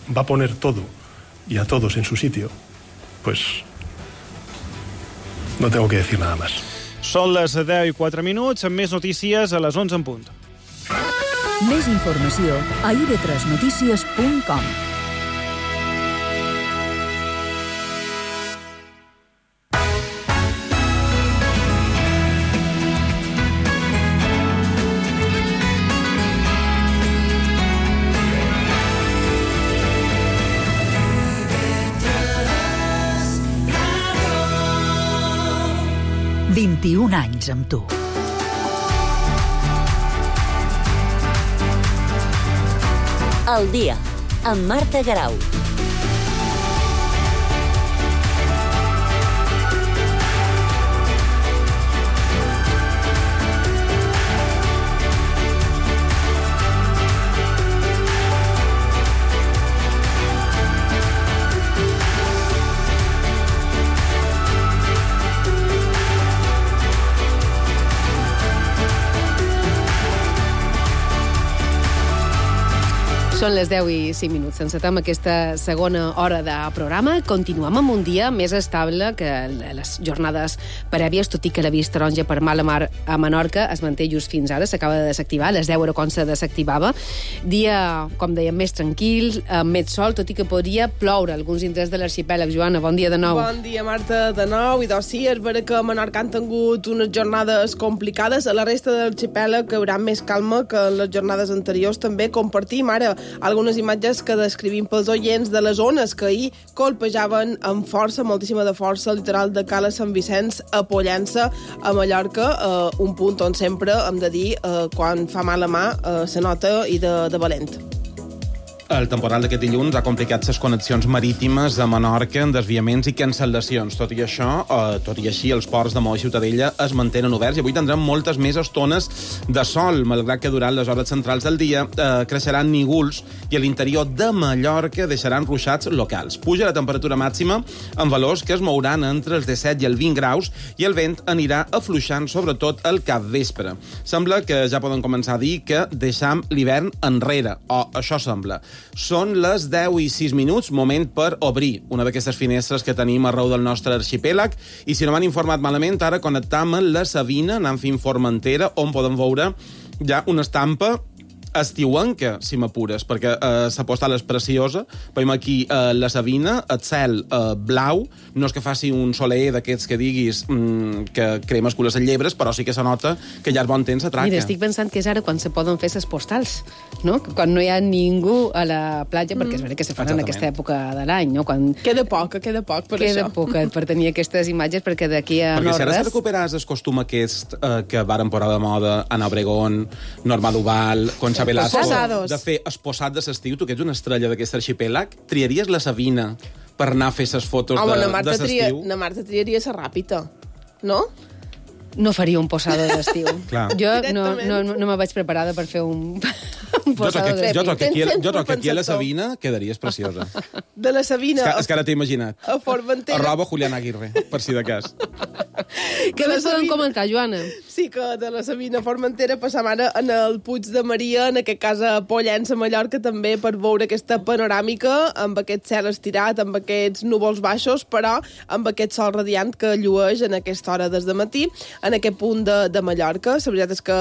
como va a poner todo y a todos en su sitio, pues no tengo que decir nada más. Són les 10:04, amb més notícies a les 11 en punt. Més informació a ib3notícies.com. IB3 21 anys amb tu. El dia, amb Marta Garau. Són les 10:05. Encetem aquesta segona hora de programa. Continuem amb un dia més estable que les jornades prèvies, tot i que l'avís taronja per mala mar a Menorca es manté just fins ara. S'acaba de desactivar, a les 10 era quan se desactivava. Dia, com dèiem, més tranquil, amb més sol, tot i que podria ploure alguns indrets de l'arxipèlag. Joana, bon dia de nou. Bon dia, Marta, de nou. I doncs sí, és vera que a Menorca han tingut unes jornades complicades. A la resta de l'arxipèlag hi haurà més calma que en les jornades anteriors. També compartim ara algunes imatges que descrivim pels oients de les ones que ahir colpejaven amb força, moltíssima de força, al litoral de Cala Sant Vicenç a Pollença, a Mallorca, un punt on sempre hem de dir quan fa mala mà se nota i de valent. El temporal d'aquest dilluns ha complicat les connexions marítimes a Menorca en desviaments i cancel·lacions. Tot i això, tot i així, els ports de Maó i Ciutadella es mantenen oberts i avui tindrem moltes més estones de sol, malgrat que durant les hores centrals del dia creixeran nígols i a l'interior de Mallorca deixaran ruixats locals. Puja la temperatura màxima amb valors que es mouran entre els 17 i els 20 graus i el vent anirà afluixant, sobretot al capvespre. Sembla que ja poden començar a dir que deixam l'hivern enrere, o això sembla. Són les 10:06, moment per obrir una d'aquestes finestres que tenim arreu del nostre arxipèlag, i si no m'han informat malament, ara connectam amb la Sabina, anant fins Formentera, on podem veure ja una estampa estiuenca, si m'apures, perquè la postal és preciosa. Veiem aquí la Sabina, el cel blau, no és que faci un soler d'aquests que diguis que crema els cules en llebres, però sí que se nota que ja és bon temps atraca. Mira, estic pensant que és ara quan se poden fer les postals, no? Quan no hi ha ningú a la platja, perquè és veritat que se fan en aquesta època de l'any, no? Quan... Queda poc per això. Queda poc per tenir aquestes imatges, perquè d'aquí a perquè no si ara res... se recuperàs el costum aquest que varen posar de moda Ana Obregón, Norma Duval, Concha Velasco, de fer esposat de l'estiu, tu que ets una estrella d'aquest arxipèlag, triaries la Sabina per anar a fer les fotos de l'estiu? Na Marta triaria la Ràpita, no? No faria un posado d'estiu. Jo no me vaig preparada per fer un posado d'estiu. Jo troc que aquí a la Sabina quedaries preciosa. De la Sabina... És que ara t'he imaginat. A Formentera... Arroba Julián Aguirre, per si de cas. Què més podem comentar, Joana? Sí, que de la Sabina a Formentera passam ara en el Puig de Maria, en aquest cas a Pollença, a Mallorca, també per veure aquesta panoràmica, amb aquest cel estirat, amb aquests núvols baixos, però amb aquest sol radiant que llueix en aquesta hora des de matí, en aquest punt de Mallorca. La veritat és que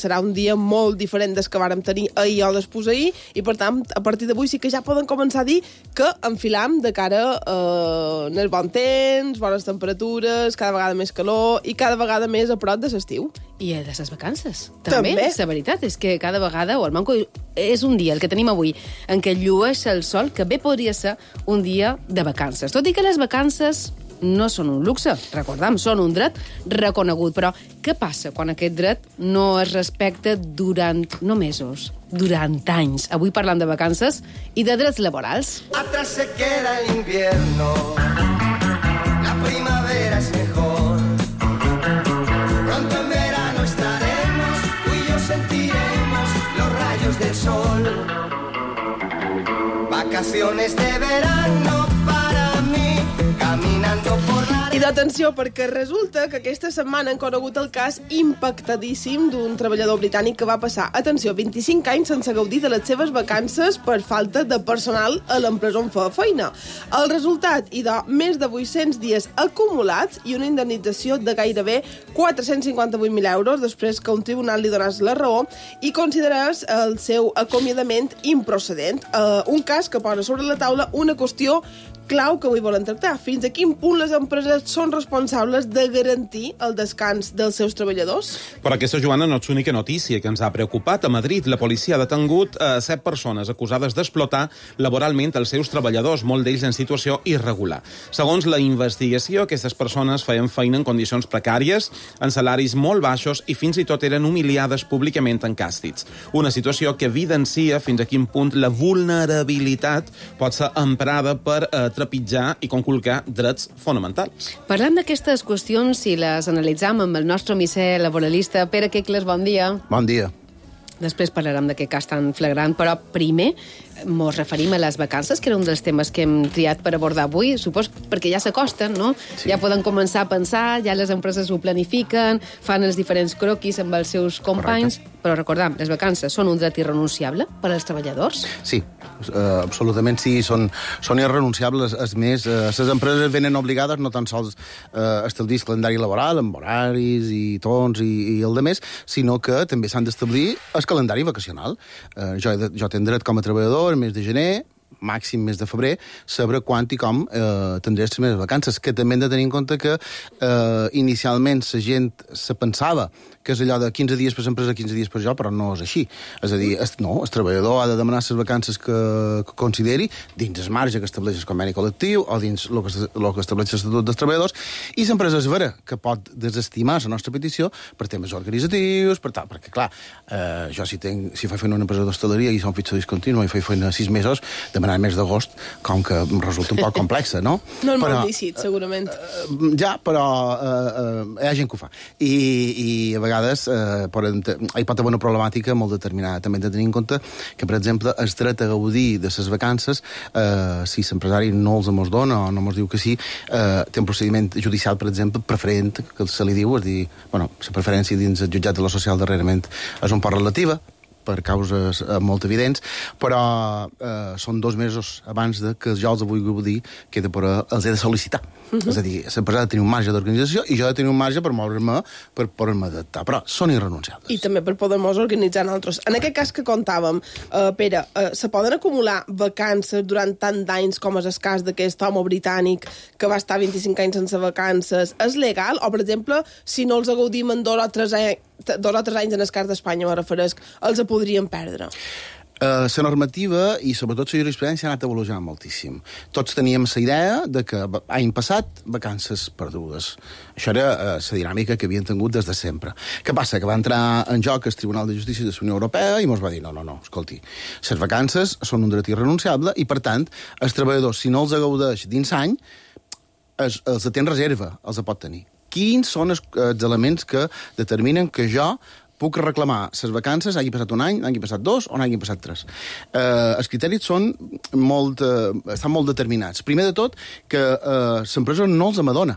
serà un dia molt diferent des que vàrem tenir ahir o després ahir, i per tant, a partir d'avui sí que ja poden començar a dir que enfilam de cara en el bon temps, bones temperatures, cada vegada més calor i cada vegada més a prop de l'estiu. I de les vacances. També. La veritat és que cada vegada, o el manco, és un dia, el que tenim avui, en què llueix el sol, que bé podria ser un dia de vacances. Tot i que les vacances no són un luxe, recordem, són un dret reconegut. Però què passa quan aquest dret no es respecta durant, no mesos, durant anys? Avui parlant de vacances i de drets laborals. Atrás se queda el invierno, la primavera es mejor. Pronto en verano estaremos, tú y yo sentiremos los rayos del sol. Vacaciones de verano para mí, caminando por la I d'atenció, perquè resulta que aquesta setmana han conegut el cas impactadíssim d'un treballador britànic que va passar, atenció, 25 anys sense gaudir de les seves vacances per falta de personal a l'empresa on feia feina. El resultat, idò, més de 800 dies acumulats i una indemnització de gairebé 458.000 euros després que un tribunal li donés la raó i considerés el seu acomiadament improcedent. Un cas que posa sobre la taula una qüestió clau que avui volen tractar. Fins a quin punt les empreses són responsables de garantir el descans dels seus treballadors? Però aquesta, Joana, no és l'única notícia que ens ha preocupat. A Madrid, la policia ha detengut 7 persones acusades d'explotar laboralment els seus treballadors, molt d'ells en situació irregular. Segons la investigació, aquestes persones feien feina en condicions precàries, en salaris molt baixos i fins i tot eren humiliades públicament en càstigs. Una situació que evidencia fins a quin punt la vulnerabilitat pot ser emprada per trepitjar i conculcar drets fonamentals. Parlem d'aquestes qüestions i les analitzam amb el nostre misser laboralista Pere Quecles. Bon dia. Bon dia. Després parlarem d'aquest cas tan flagrant, però primer mos referim a les vacances, que era un dels temes que hem triat per abordar avui, supos perquè ja s'acosten, no? Sí. Ja poden començar a pensar, ja les empreses ho planifiquen, fan els diferents croquis amb els seus companys, correcte. Però recordem, les vacances són un dret irrenunciable per als treballadors? Sí, absolutament sí, són irrenunciables. És més, les empreses venen obligades no tan sols a establir el calendari laboral, amb horaris i tons i el de més, sinó que també s'han d'establir el calendari vacacional. Jo tenc dret com a treballador el mes de gener, màxim mes de febrer, saber quan i com tindré les meves vacances, que també hem de tenir en compte que inicialment la gent se pensava que és allò de 15 dies per l'empresa, 15 dies per jo, però no és així. És a dir, el treballador ha de demanar les vacances que consideri dins el marge que estableix el conveni col·lectiu o dins el que estableix l'Estatut dels Treballadors, i l'empresa és vera que pot desestimar la nostra petició per temes organitzatius, per tal, perquè clar, jo si faig feina una empresa d'hostaleria i som fitxa discontínua i faig feina 6 mesos, demanar el mes d'agost, com que em resulta un poc complexa, no? No és molt lícit, segurament. Ja, però hi ha gent que ho fa. I a vegades hi pot haver una problemàtica molt determinada. També hem de tenir en compte que, per exemple, el dret a gaudir de les vacances, si l'empresari no els mos dona o no mos diu que sí, té un procediment judicial, per exemple, preferent, que se li diu, és dir, la preferència dins el jutjat de lo social darrerament és un poc relativa, per causes molt evidents, però són 2 mesos abans de que jo els vull gaudir que els he de sol·licitar. És a dir, l'empresa ha de tenir un marge d'organització i jo he de tenir un marge per moure'm, per poder-me adaptar, però són irrenunciables. I també per poder-nos organitzar nosaltres. En aquest cas que contàvem, Pere, se poden acumular vacances durant tant d'anys com és el cas d'aquest home britànic que va estar 25 anys sense vacances? És legal? O, per exemple, si no els gaudim en 2 o 3 anys en el cas d'Espanya, me referesc, els podrien perdre? La normativa i sobretot la jurisprudència ha anat evolucionant moltíssim. Tots teníem la idea de que any passat vacances perdudes. Això era la dinàmica que havien tingut des de sempre. Què passa? Que va entrar en joc el Tribunal de Justícia de la Unió Europea i ens va dir no, escolti, les vacances són un dret irrenunciable i, per tant, els treballadors, si no els gaudeix dins any, els té en reserva, els pot tenir. Quins són els elements que determinen que jo puc reclamar les vacances, hagi passat un any, hagi passat 2 o n'hagi passat 3. Els criteris estan molt determinats. Primer de tot, que l'empresa no els amadona.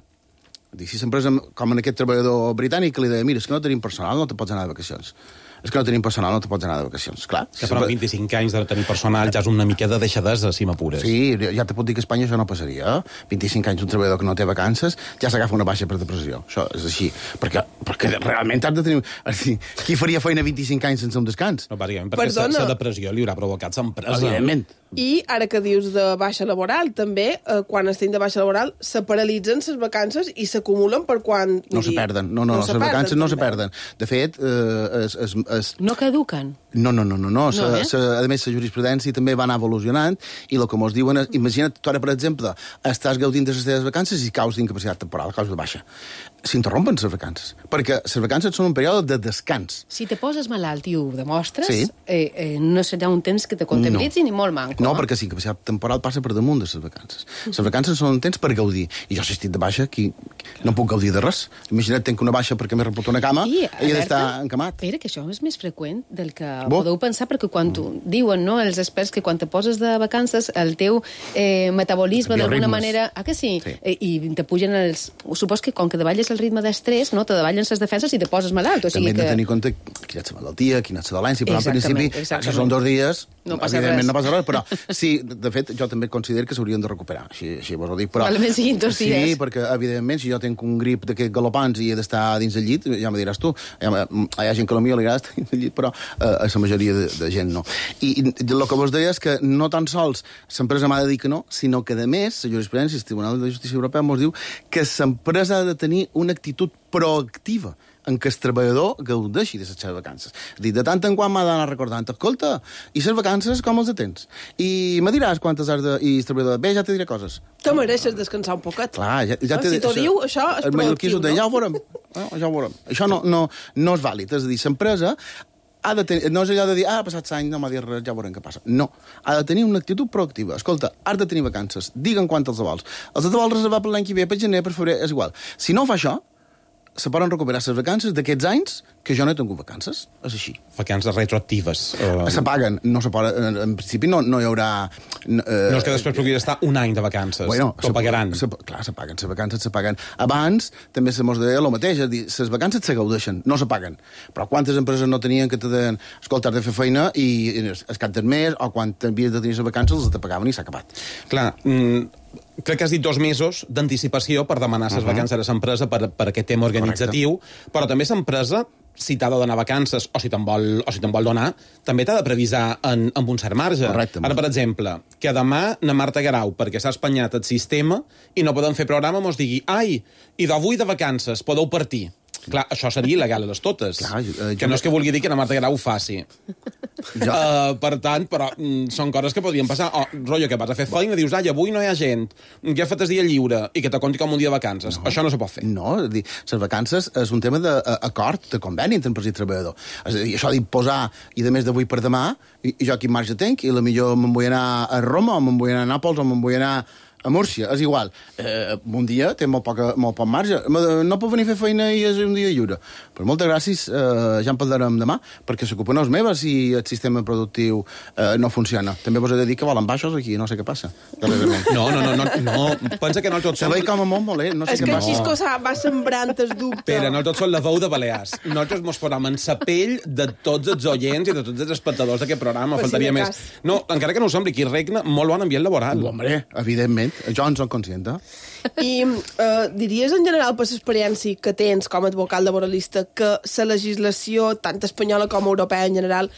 Si l'empresa, com en aquest treballador britànic, que li deia, mira, és que no tenim personal, no te pots anar de vacacions. És que no tenim personal, no te pots anar de vacacions. Clar. Que però 25 anys de tenir personal ja és una mica de deixadesa, si m'apures. Sí, ja te puc dir que a Espanya això no passaria. 25 anys un treballador que no té vacances ja s'agafa una baixa per depressió. Això és així. Perquè realment has de tenir... Qui faria feina 25 anys sense un descans? No, bàsicament, perquè la depressió li haurà provocat l'empresa. Evidentment. I ara que dius de baixa laboral, també, quan estem de baixa laboral, se paralitzen les vacances i s'acumulen per quan... No se perden. No, les vacances no se perden. De fet, no caduquen? No. A més, la jurisprudència també va anar evolucionant i el que mos diuen és, imagina't, tu ara, per exemple, estàs gaudint de les teves vacances i caus d'incapacitat temporal, caus de baixa. s'interrompen les vacances, perquè les vacances són un període de descans. Si te poses malalt i ho demostres, Sí. No serà un temps que te comptabilitzi ni molt manco. No, perquè sí, que la temporal passa per damunt de les vacances. Les vacances són un temps per gaudir. I jo, si estic de baixa, aquí no puc gaudir de res. Imagina't, tenc una baixa perquè m'he repotat una cama i he d'estar encamat. Espera, que això és més freqüent del que podeu pensar, perquè quan diuen, no, els experts, que quan te poses de vacances el teu metabolisme d'alguna manera... Ah, que sí? I te pugen els... Supos que com que davalles el ritme d'estrès, no, te davallen les defenses i te poses malalt. O sigui també hem de tenir en compte quina és la malaltia, quina és la dolència, però en principi, si són 2 dies, evidentment no passa res, però sí, de fet, jo també considero que s'haurien de recuperar, així vos ho dic, però... Probablement siguin 2 dies. Sí, perquè, evidentment, si jo tinc un grip d'aquests galopants i he d'estar dins del llit, ja me diràs tu, hi ha gent que potser li agrada estar dins del llit, però a la majoria de gent no. I el que vos deia és que no tan sols l'empresa m'ha de dir que no, sinó que, a més, la jurisprudència, el Tribunal de Justícia Europea ens diu que l'empresa ha de tenir una actitud proactiva en què el treballador gaudeixi de les seves vacances. És a dir, de tant en quant m'ha d'anar recordant, escolta, i les vacances com els tens? I me diràs quantes has de... I el treballador, bé, ja te diré coses. Te mereixes descansar un poquet. Clar, ja si t'ho diu, això és proactiu, no? Ja ho veurem. Ja ho veurem. Això no és vàlid. És a dir, l'empresa ha de tenir, no és allò de dir, ha passat l'any, no m'ha dit res, ja veurem què passa. No, ha de tenir una actitud proactiva. Escolta, has de tenir vacances, digue'm quant els vols. Els vols reservar per l'any que ve, per gener, per febrer, és igual. Si no fa això, se poden recuperar les vacances d'aquests anys que jo no he tingut vacances. És així. Vacances retroactives. Se paguen. No se poden, en principi no hi haurà... No és que després puguis estar un any de vacances. Bueno, t'ho pagaran. Clar, se paguen. Les vacances se paguen. Abans també se mos deia el mateix. És a dir, les vacances se gaudeixen, no se paguen. Però quantes empreses no tenien que te deien escolta, has de fer feina i es cap del mes o quan havies de tenir les vacances els te pagaven i s'ha acabat. Clar, crec que has dit 2 mesos d'anticipació per demanar les vacances a l'empresa per aquest tema organitzatiu, però també l'empresa, si t'ha de donar vacances o si te'n vol donar, també t'ha de previsar amb un cert marge. Correcte. Ara, per exemple, que demà na Marta Guerau, perquè s'ha espanyat el sistema i no podem fer programa, mos digui ai, i d'avui de vacances podeu partir. Clar, això seria il·legal a les totes. Clar, que no és que vulgui dir que la Marta Guerau ho faci. Per tant, però són coses que podrien passar. Rotllo, que vas a fer feina, dius, ai, avui no hi ha gent, que fet el dia lliure, i que te compti com un dia de vacances. No. Això no se pot fer. No, és dir, les vacances és un tema d'acord, de conveni entre empresa i treballador. És a dir, això d'imposar, i de més d'avui per demà, i jo quin marge tenc, i potser me'n vull anar a Roma, o me'n vull anar a Nàpols, o me'n vull anar a Múrcia, és igual. Un dia té molt poc marge. No puc venir a fer feina i és un dia lliure. Però moltes gràcies, ja en parlarem demà, perquè s'ocupen els meves i el sistema productiu no funciona. També vos he de dir que volen baixos aquí, no sé què passa. No, pensa que no tots són... Se veig com a molt molest, no sé què passa. És que Xisco va sembrant el dubte. Espera, no tots són la veu de Balears. Nosaltres mos posam en sa pell de tots els oients i de tots els espectadors d'aquest programa, faltaria més. No, encara que no ho sembli, aquí regna molt bon ambient laboral. Hombre, evidentment. Jo en soc conscient. I diries en general per l'experiència que tens com a advocat laboralista que la legislació, tant espanyola com europea en general,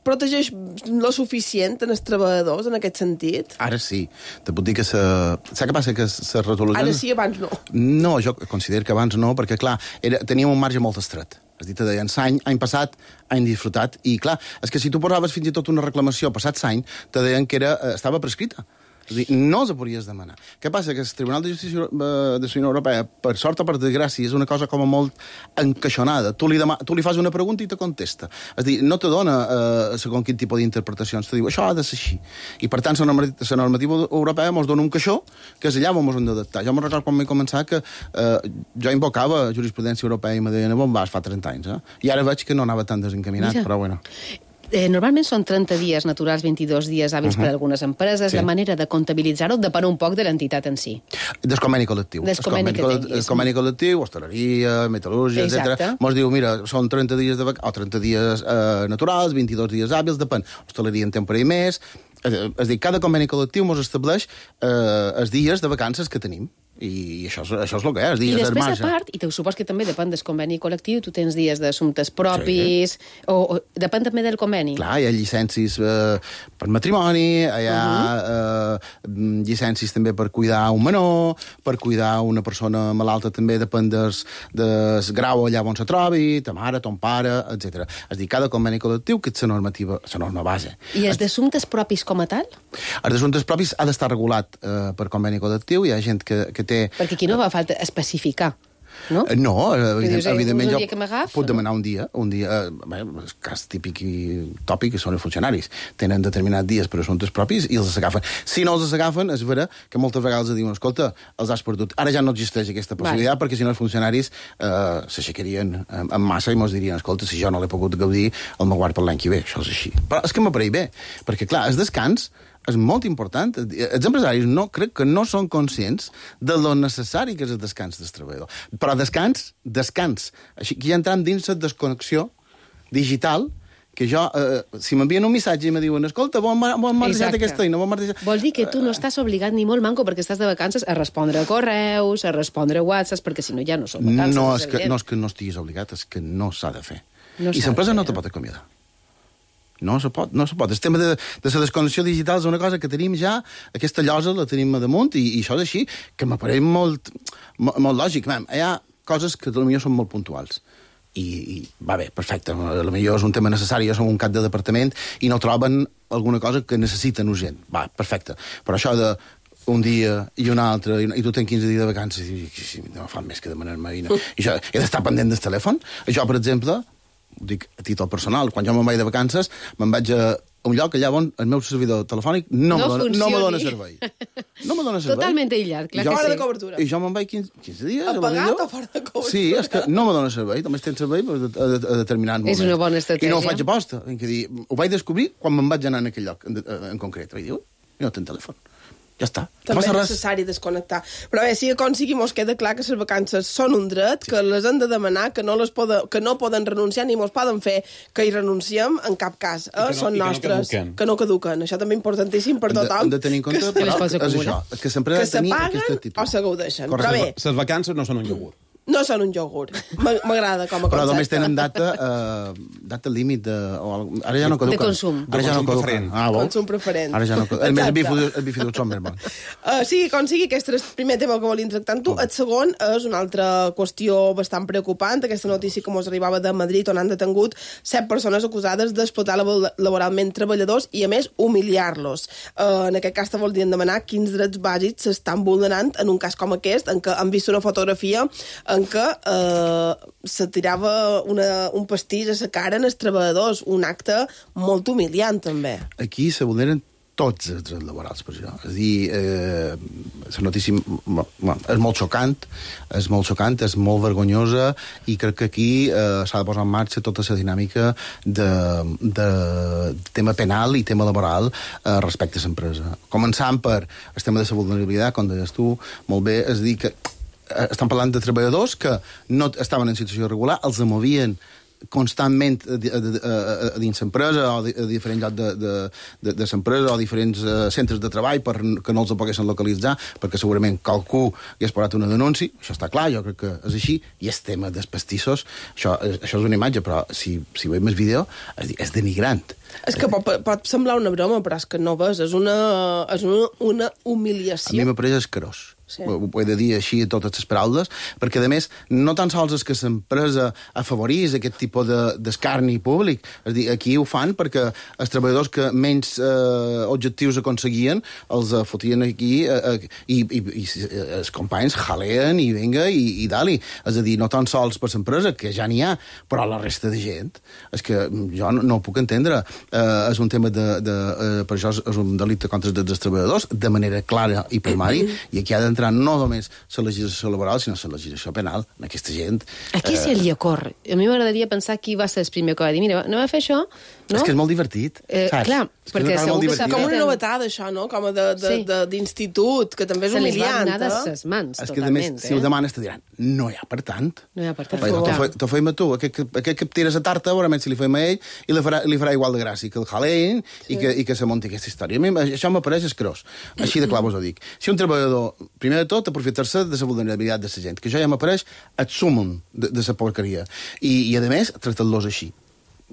protegeix lo suficient en els treballadors en aquest sentit? Ara sí. Te puc dir que saps què passa? Que se resolucions... Ara sí, abans no. No, jo considero que abans no, perquè, clar, teníem un marge molt estret. És a dir, te deien, any passat, any disfrutat, i clar, és que si tu posaves fins i tot una reclamació passat l'any, te deien que estava prescrita. És a dir, no els podries demanar. Què passa? Que el Tribunal de Justícia de la Unió Europea, per sort o per desgràcia, és una cosa com a molt encaixonada. Tu li fas una pregunta i te contesta. És a dir, no te dona segons quin tipus d'interpretacions. Te diu, això ha de ser així. I per tant, la normativa europea ens dona un caixó que és allà on ens hem d'adaptar. Jo me'n recordo quan vaig començar que jo invocava jurisprudència europea i me deien, on vas fa 30 anys. I ara veig que no anava tan desencaminat, però bueno. Normalment són 30 dies naturals, 22 dies hàbils per a algunes empreses. Sí. La manera de comptabilitzar-ho depèn un poc de l'entitat en si. Del conveni col·lectiu. El conveni col·lectiu, hostaleria, metal·lúrgia, etc. Mos diu, mira, són 30 dies o 30 dies naturals, 22 dies hàbils, depèn. Hostaleria en temporada i més. És a dir, cada conveni col·lectiu mos estableix els dies de vacances que tenim. I això és el que és, dies del marge. I després, a part, i te supos que també depèn del conveni col·lectiu, tu tens dies d'assumptes propis, o depèn també del conveni. Clar, hi ha llicències per matrimoni, hi ha llicències també per cuidar un menor, per cuidar una persona malalta també depèn del grau allà on se trobi, ta mare, ton pare, etc. És a dir, cada conveni col·lectiu que és la norma base. I els d'assumptes propis com a tal? Els d'assumptes propis ha d'estar regulat per conveni col·lectiu, hi ha gent que té... Perquè aquí no fa falta especificar, no? No, dius, evidentment un jo dia que m'agaf, puc demanar un dia, el cas típic i tòpic que són els funcionaris. Tenen determinats dies per assumptes propis i els agafen. Si no els agafen, és vera que moltes vegades diuen, escolta, els has perdut. Ara ja no existeix aquesta possibilitat, perquè si no els funcionaris s'aixecarien en massa i mos dirien, escolta, si jo no l'he pogut gaudir, el me guard per l'any que ve. Això és així. Però és que m'apareix bé, perquè clar, el descans és molt important. Els empresaris crec que no són conscients de lo necessari que és el descans del treballador. Però descans. Així que ja entrem dins la desconnexió digital, que jo, si m'envien un missatge i me diuen, escolta, bon marxat aquesta feina, bon marxat... Vol dir que tu no estàs obligat ni molt manco perquè estàs de vacances a respondre a correus, a respondre a WhatsApps, perquè si no ja no són vacances. No, és que no estiguis obligat, és que no s'ha de fer. I l'empresa no te pot acomiadar. No se pot. El tema de la desconnexió digital és una cosa que tenim ja, aquesta llosa la tenim a damunt, i això és així, que m'apareix molt lògic. Hi ha coses que potser són molt puntuals. I va bé, perfecte. Potser és un tema necessari, jo som un cap de departament i no troben alguna cosa que necessiten urgent. Va, perfecte. Però això de un dia i un altre, i tu tens 15 dies de vacances, i no fan més que demanar-me. I això, he d'estar pendent del telèfon. Jo, per exemple, ho dic a títol personal, quan jo me'n vaig de vacances, me'n vaig a un lloc allà on el meu servidor telefònic no me dona servei. No me dona servei. Totalment aïllat, clar que sí. Fora de cobertura. I jo me'n vaig 15 dies. Apagat o fora de cobertura? Sí, és que no me dona servei, només tens servei a determinats moments. És una bona estratègia. I no ho faig aposta. Ho vaig descobrir quan me'n vaig anar en aquell lloc en concret. Vaig dir, no tinc telèfon. Ja està. També és necessari desconnectar. Però bé, si com sigui mos queda clar que les vacances són un dret, que les hem de demanar, que no poden renunciar ni mos poden fer que hi renunciem en cap cas. Són nostres, que no caduquen. Això també importantíssim per tothom. Hem de tenir en compte, però és això, que sempre ha de tenir aquesta actitud. O se gaudeixen. Però bé, les vacances no són un iogurt. no són un iogurt. M'agrada com a concepte. Però només tenen data límit de... Ara ja no caduquen. De consum. Ara ja no caduquen. Consum preferent. Ara ja no caduquen. A més, els bifidus són més bons. Sí, com sigui, aquest és el primer tema que volíem tractar amb tu. El segon és una altra qüestió bastant preocupant. Aquesta notícia que ens arribava de Madrid, on han detengut 7 persones acusades d'explotar laboralment treballadors i, a més, humiliar-los. En aquest cas, te voldrien demanar quins drets bàsics s'estan vulnerant en un cas com aquest, en què han vist una fotografia en què se tirava un pastís a la cara en els treballadors, un acte molt humiliant, també. Aquí se vulneren tots els drets laborals, per això. És a dir, la notícia és molt xocant, és molt vergonyosa, i crec que aquí s'ha de posar en marxa tota la dinàmica de tema penal i tema laboral respecte a l'empresa. Començant per el tema de la vulnerabilitat, com deies tu, molt bé, és a dir que estan parlant de treballadors que no estaven en situació irregular, els movien constantment a dins l'empresa o a diferents llocs de l'empresa o a diferents centres de treball perquè no els poguessin localitzar, perquè segurament qualcú hagués posat una denúncia. Això està clar, jo crec que és així. I el tema dels pastissos, això és una imatge, però si veiem el vídeo és denigrant. És que pot semblar una broma, però és que no ves, és una humiliació. A mi m'apareix escarós. Sí. Ho he de dir així a totes les paraules, perquè, a més, no tan sols és que l'empresa afavorís aquest tipus d'escarni públic. És dir, aquí ho fan perquè els treballadors que menys objectius aconseguien els fotien aquí i els companys jaleen i vinga i dali. És a dir, no tan sols per l'empresa, que ja n'hi ha, però la resta de gent. És que jo no ho puc entendre. És un tema per això és un delicte contra els drets dels treballadors, de manera clara i primària, i aquí ha d'entrar no només la legislació laboral, sinó la legislació penal en aquesta gent. A qui se li ocorre? A mi m'agradaria pensar qui va ser el primer que va dir, mira, anem a fer això, no? És que és molt divertit, saps? Clar, perquè segur que com una novetada, això, no? Com d'institut, que també és humiliant. Se li van anar de ses mans, totalment. És que, a més, si ho demanes, te diran, no hi ha per tant. No hi ha per tant. T'ho feim a tu, aquest que tires a tarta, veurament si li feim a ell, i li farà igual de gràcia que el jalein i que se munti aquesta història. A mi això m'apareix escrós. Així de clar vos ho dic. Si un treballador, primer de tot, aprofitar-se de la vulnerabilitat de la gent, que això ja m'apareix el súmum de la porqueria. I a més, tractar-los així.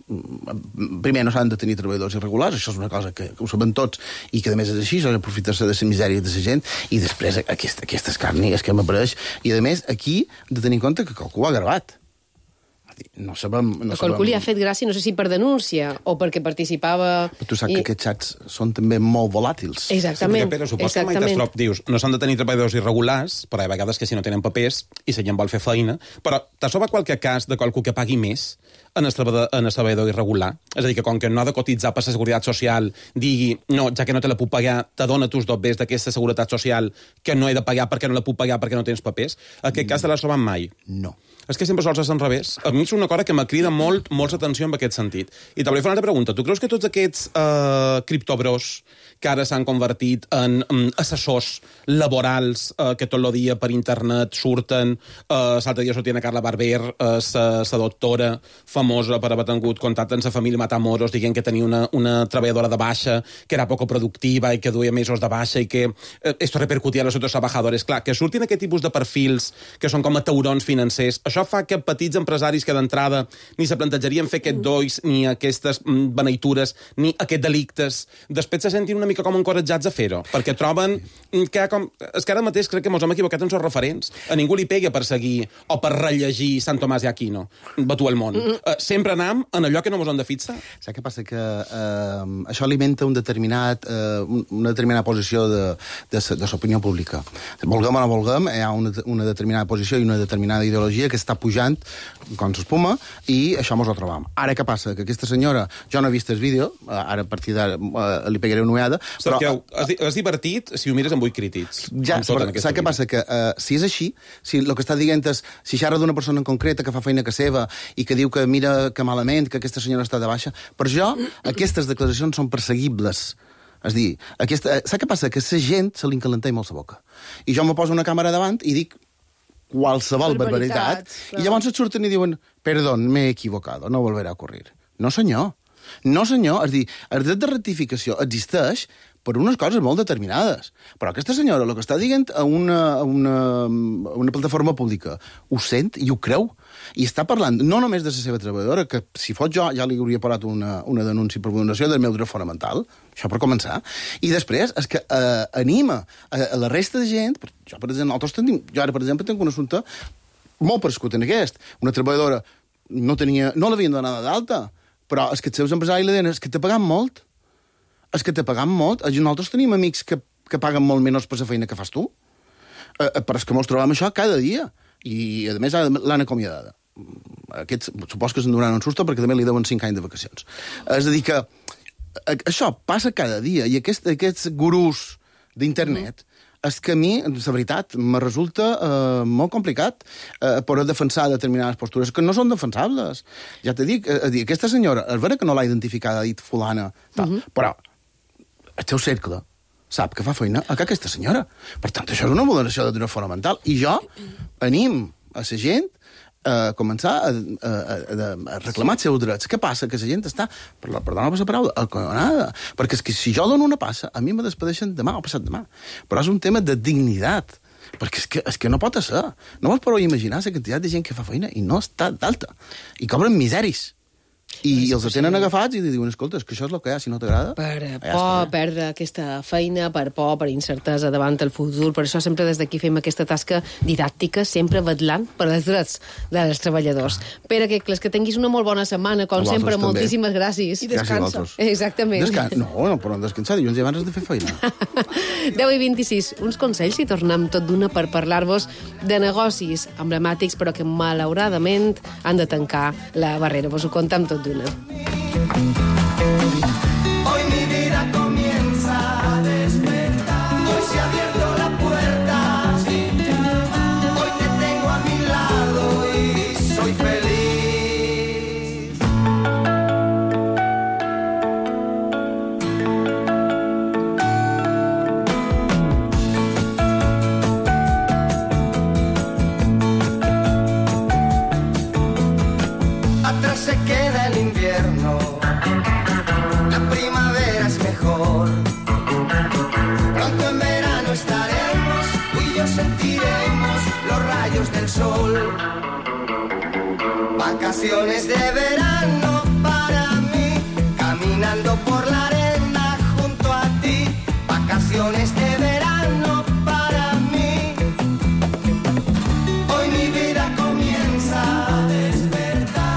Primer, no s'han de tenir treballadors irregulars, això és una cosa que ho sabem tots, i que a més és així, s'ha d'aprofitar-se de la misèria de la gent, i després aquest escarni és que m'apareix. I a més, aquí, de tenir en compte que qualcú ho ha gravat. No sabem... Qualcú li ha fet gràcia, no sé si per denúncia o perquè participava... Però tu saps que aquests xats són també molt volàtils. Exactament. Sí, perquè, Pere, supos que mai t'estrop, dius, no s'han de tenir treballadors irregulars, però hi ha vegades que si no tenen papers i si gent vol fer feina, però t'ha trobat qualque cas de qualcú que pagui més en el treballador irregular? És a dir, que com que no ha de cotitzar per la Seguretat Social, digui, no, ja que no te la puc pagar, te dona tus dobbers d'aquesta Seguretat Social que no he de pagar perquè no la puc pagar perquè no tens papers? Aquest cas te l'has trobat mai? No. És que sempre sols és enrevés. A mi és una cosa que me crida molt atenció en aquest sentit. I te volia fer una altra pregunta. Tu creus que tots aquests criptobros que ara s'han convertit en assessors laborals que tot el dia per internet surten, l'altre dia sortien a Carla Barber, la doctora famosa per haver tingut contacte amb la família Matamoros, dient que tenia una treballadora de baixa, que era poco productiva i que duia mesos de baixa i que esto repercutia a los otros trabajadores. Clar, que surtin aquest tipus de perfils que són com a taurons financers, això fa que petits empresaris que d'entrada ni se plantejarien fer aquest dois, ni aquestes beneitures, ni aquests delictes, després se sentin una mica com encoratjats a fer-ho, perquè troben que com... És que ara mateix crec que ens hem equivocat en els referents. A ningú li pega per seguir o per rellegir Sant Tomàs i Aquino, Batu el món. Sempre anam en allò que no ens hem de fixar. Saps què passa? Que això alimenta una determinada posició de l'opinió pública. Volguem o no volguem, hi ha una determinada posició i una determinada ideologia que està pujant com s'espuma i això ens ho trobam. Ara què passa? Que aquesta senyora, jo no he vist el vídeo, ara a partir d'ara li pegaré una ullada, però... És divertit si ho mires amb 8 crítics. Ja, saps què passa? Que si és així, si el que està dient és, si xerra d'una persona en concreta que fa feina que seva i que diu que mira que malament, que aquesta senyora està de baixa, per jo aquestes declaracions són perseguibles. És dir, saps què passa? Que la gent se li encalenta molt la boca. I jo me poso una càmera davant i dic qualsevol barbaritat, i llavors et surten i diuen, perdón, m'he equivocado, no volverà a ocurrir. No, senyor. No, senyor. És dir, el dret de rectificació existeix per unes coses molt determinades. Però aquesta senyora, el que està dient a una plataforma pública, ho sent i ho creu. I està parlant no només de la seva treballadora, que si fos jo ja li hauria parat una denúncia per vulneració del meu dret fonamental, això per començar, i després és que anima a la resta de gent, jo ara, per exemple, tinc un assumpte molt perscut en aquest. Una treballadora no l'havien donat d'alta, però és que els seus empresaris li deien, és que t'ha pagat molt. És que t'ha pagat molt. Nosaltres tenim amics que paguen molt menys per la feina que fas tu. Però és que mos trobem això cada dia. I, a més, l'han acomiadada. Aquests, supos que se'n donaran un susto perquè també li deuen 5 anys de vacacions. És a dir que això passa cada dia i aquests gurús d'internet és que a mi, la veritat, me resulta molt complicat poder defensar determinades postures que no són defensables. Ja t'he dit, aquesta senyora, és vera que no l'ha identificada, ha dit fulana, però el seu cercle sap que fa feina a aquesta senyora. Per tant, això és una vulneració de dret fonamental. I jo anim a la gent a començar a reclamar els seus drets. Què passa? Que la gent està, perdona per la paraula, acollonada. Perquè és que si jo dono una passa, a mi me despedeixen demà o passat demà. Però és un tema de dignitat. Perquè és que no pot ser. No vols però imaginar la quantitat de gent que fa feina i no està d'alta. I cobren miseris. I els tenen agafats i li diuen, escolta, és que això és el que hi ha, si no t'agrada... Per por perdre aquesta feina, per por, per incertesa davant el futur. Per això sempre des d'aquí fem aquesta tasca didàctica, sempre vetllant per els drets dels treballadors. Pere, que tinguis una molt bona setmana, com sempre, moltíssimes gràcies. I descansa. Exactament. No, però descansar, dilluns i abans has de fer feina. 10:26, uns consells i tornem tot d'una per parlar-vos de negocis emblemàtics, però que malauradament han de tancar la barrera. Vos ho contem tot d'una. Hoy mi vida comienza a despertar. Hoy se ha abierto la puerta. Hoy te tengo a mi lado y soy feliz. Atrás se queda el invierno, la primavera es mejor. Pronto en verano estaremos, tú y yo sentiremos los rayos del sol. Vacaciones de verano para mí, caminando por la arena junto a ti. Vacaciones de verano para mí. Hoy mi vida comienza a despertar.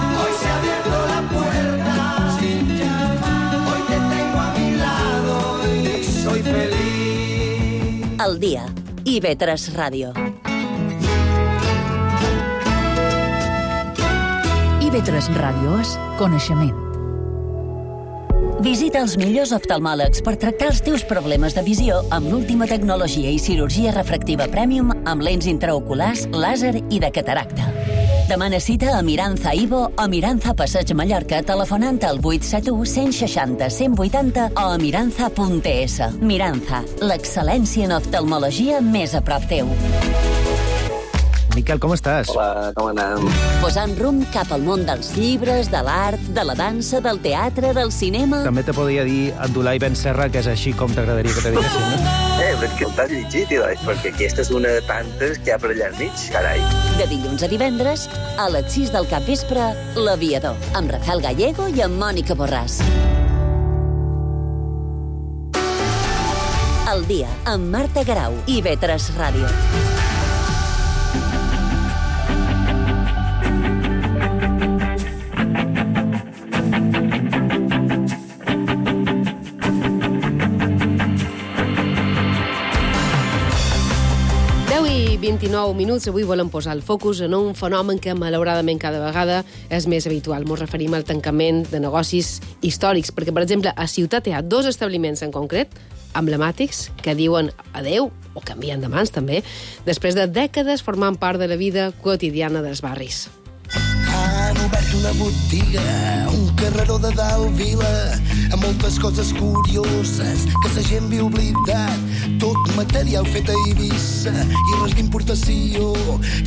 Al dia. IB3 Ràdio. IB3 Ràdio és coneixement. Visita els millors oftalmòlegs per tractar els teus problemes de visió amb l'última tecnologia i cirurgia refractiva Premium amb lents intraoculars, làser i de cataracta. Demana cita a Miranza Ivo o Miranza Passeig Mallorca telefonant al 871 160 180 o a miranza.es. Miranza, l'excel·lència en oftalmologia més a prop teu. Miquel, com estàs? Hola, com anem? Posant rumb cap al món dels llibres, de l'art, de la dansa, del teatre, del cinema... També te podria dir Abdulai Ben Serra, que és així com t'agradaria que te diguessin, no? Però és que el t'has llegit, perquè aquesta és una de tantes que hi ha per allà al mig, carai. De dilluns a divendres, a les 6 del capvespre, L'Aviador, amb Rafael Gallego i amb Mònica Borràs. Al dia, amb Marta Garau, IB3 Ràdio. I 29 minuts. Avui volem posar el focus en un fenomen que, malauradament, cada vegada és més habitual. Ens referim al tancament de negocis històrics, perquè, per exemple, a Ciutat hi ha 2 establiments en concret, emblemàtics, que diuen adeu, o canvien de mans, també, després de dècades formant part de la vida quotidiana dels barris. Han obert una botiga, un carreró de dalt vila, amb moltes coses curioses que la gent viu oblidat. Tot material fet a Eivissa i res d'importació,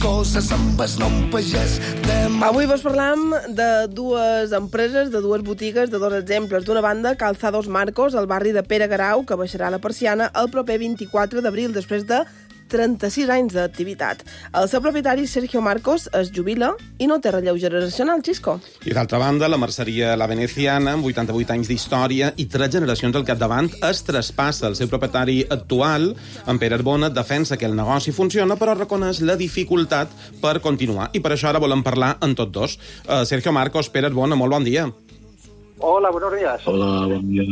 coses amb el nom pagès de... Avui vos parlam de 2 empreses, de 2 botigues, de 2 exemples. D'una banda, Calzados Marcos, al barri de Pere Garau, que baixarà la persiana el proper 24 d'abril, després de 36 anys d'activitat. El seu propietari, Sergio Marcos, es jubila i no té relleu generacional, Xisco. I d'altra banda, la merceria La Veneciana, amb 88 anys d'història i 3 generacions al capdavant, es traspassa. El seu propietari actual, en Pere Arbona, defensa que el negoci funciona, però reconeix la dificultat per continuar. I per això ara volem parlar en tots dos. Sergio Marcos, Pere Arbona, molt bon dia. Hola, buenos días. Hola, bon dia.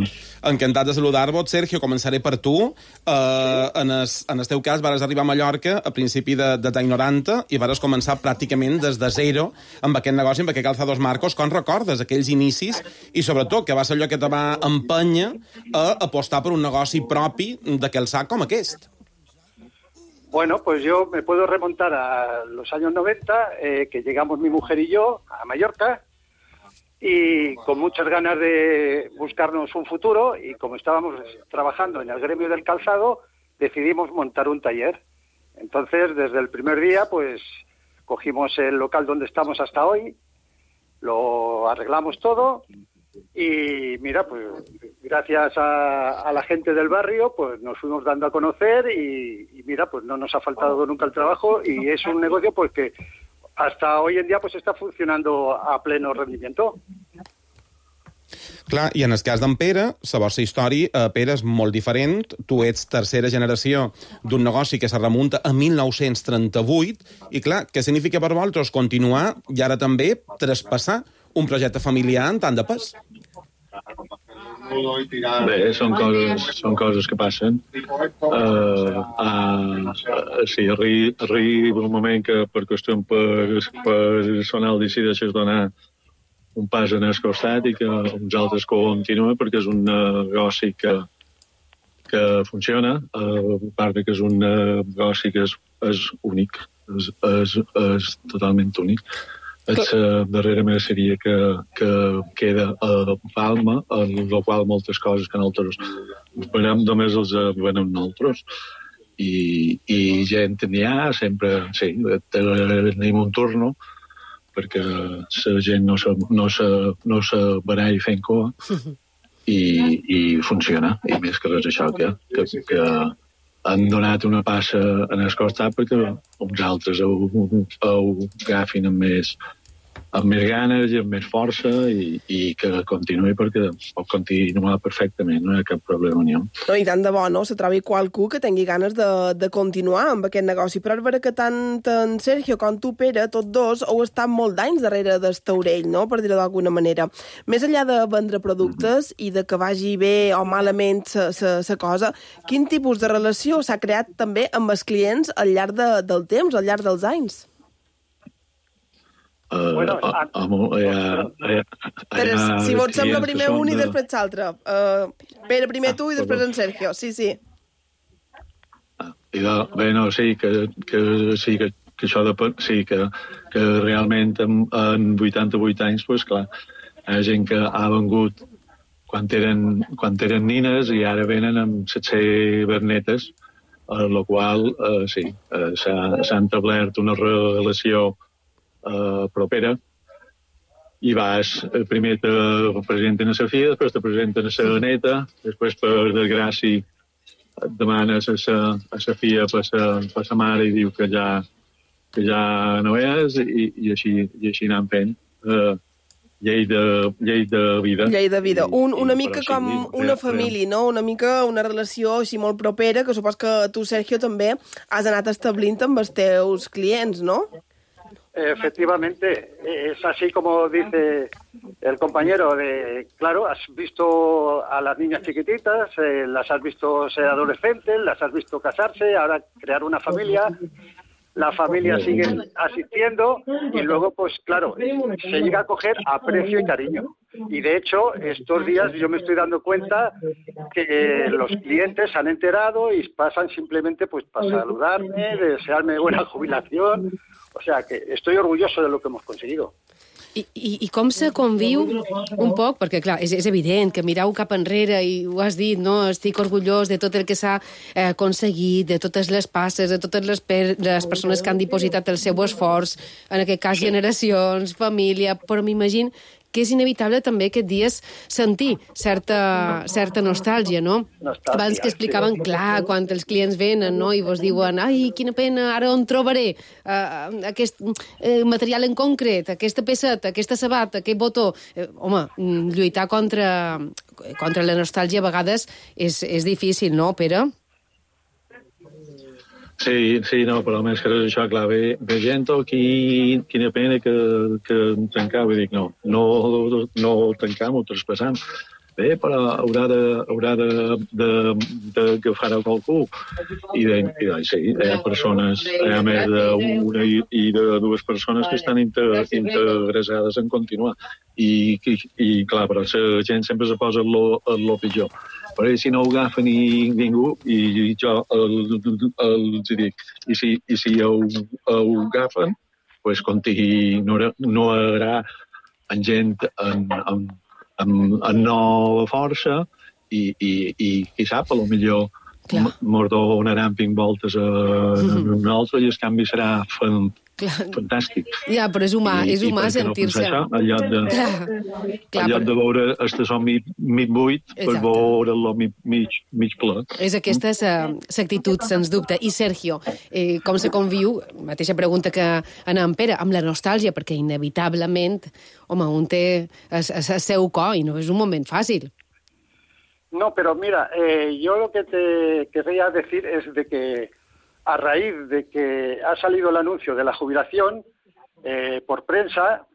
Encantat de saludar-vos. Sergio, començaré per tu. En el teu cas, vares arribar a Mallorca a principi de 90 i vares començar pràcticament des de zero amb aquest negoci, amb aquest Calzados Marcos. Com recordes aquells inicis i, sobretot, que va ser allò que te va empènyer a apostar per un negoci propi d'aquell sac com aquest? Bueno, pues yo me puedo remontar a los años 90, que llegamos mi mujer y yo a Mallorca, y con muchas ganas de buscarnos un futuro, y como estábamos trabajando en el gremio del calzado, decidimos montar un taller. Entonces, desde el primer día, pues cogimos el local donde estamos hasta hoy, lo arreglamos todo, y mira, pues gracias a la gente del barrio, pues nos fuimos dando a conocer, y mira, pues no nos ha faltado nunca el trabajo, y es un negocio pues que hasta hoy en día pues està funcionant a pleno rendimiento. Clar, i en el cas d'en Pere, la vostra història, Pere, és molt diferent. Tu ets tercera generació d'un negoci que se remunta a 1938, i clar, què significa per vosaltres continuar i ara també traspassar un projecte familiar en tant de pes? Bé, són coses que passen. Sí, arriba un moment que per qüestió personal decideixes donar un pas en el costat i que uns altres continuen, perquè és un negoci que funciona, a part que és un negoci que és únic, és totalment únic. És la darrera merceria que queda a Palma, en la qual moltes coses que nosaltres venem només els venem nosaltres. I gent n'hi ha, sempre, sí, tenim un turno, perquè la gent no se baralla fent cua, i funciona. I més que res això, que han donat una passa en el costat perquè uns altres ho agafin amb amb més ganes i amb més força i que continuï perquè pot continuar perfectament, no hi ha cap problema ni un. No, i tant de bo, no? Se trobi qualcú que tingui ganes de continuar amb aquest negoci. Però és vera que tant en Sergio com tu, Pere, tots dos, heu estat molt d'anys darrere del taulell, no?, per dir-ho d'alguna manera. Més enllà de vendre productes i de que vagi bé o malament la cosa, quin tipus de relació s'ha creat també amb els clients al llarg del temps, al llarg dels anys? Si vols sembla primer un i després l'altre. Pere, primer tu i després en Sergio. Sí. Bé, no, sí, que això depèn, sí, que realment en 88 anys, doncs clar, hi ha gent que ha vengut quan eren nines i ara venen amb 700 vernetes, amb la qual, sí, s'ha establert una relació propera i primer te presenten a la filla, després te presenten a la neta, després per desgràcia et demanes a la filla per la mare i diu que ja no és i així anem fent llei de vida. Llei de vida. Una mica com una família, no? Una mica una relació així molt propera que supos que tu, Sergio, també has anat establint amb els teus clients, no? Efectivamente, es así como dice el compañero, claro, has visto a las niñas chiquititas, las has visto ser adolescentes, las has visto casarse, ahora crear una familia, la familia sigue asistiendo y luego, pues claro, se llega a coger aprecio y cariño. Y de hecho, estos días yo me estoy dando cuenta que los clientes se han enterado y pasan simplemente pues para saludarme, desearme buena jubilación. O sea, que estoy orgulloso de lo que hemos conseguido. I com se conviu un poc? Perquè, clar, és evident que mirau cap enrere i ho has dit, no? Estic orgullós de tot el que s'ha aconseguit, de totes les passes, de totes les persones que han dipositat el seu esforç, en aquest cas generacions, família, però m'imagino que és inevitable també aquests dies sentir certa nostàlgia, no? Abans que explicaven, clar, quan els clients venen, no?, i vos diuen, ai, quina pena, ara on trobaré aquest material en concret, aquesta pesseta, aquesta sabata, aquest botó. Home, lluitar contra la nostàlgia a vegades és difícil, no, Pere? Sí, no, però més que res això, clar, ve gent quina pena que tancau, i dic, no tancam, ho traspassam. Bé, però haurà d'agafar a qualcú. I sí, hi ha persones, hi ha més d'una i de dues persones que estan interessades en continuar. I clar, però la gent sempre se posa lo pitjor. Però si no ho agafa ningú, i jo els dic, i si ho agafen, doncs no hi haurà gent amb nova força i qui sap, potser mos donaran voltes a nosaltres i el canvi serà fantàstic. Ja, però és humà sentir-se. En lloc de veure el mig buit, per veure-lo mig ple. És aquesta l'actitud, sens dubte. I Sergio, com se conviu, mateixa pregunta que en Pere, amb la nostàlgia, perquè inevitablement, home, un té el seu cor i no és un moment fàcil. No, pero mira, yo lo que te querría decir es de que a raíz de que ha salido el anuncio de la jubilación por prensa,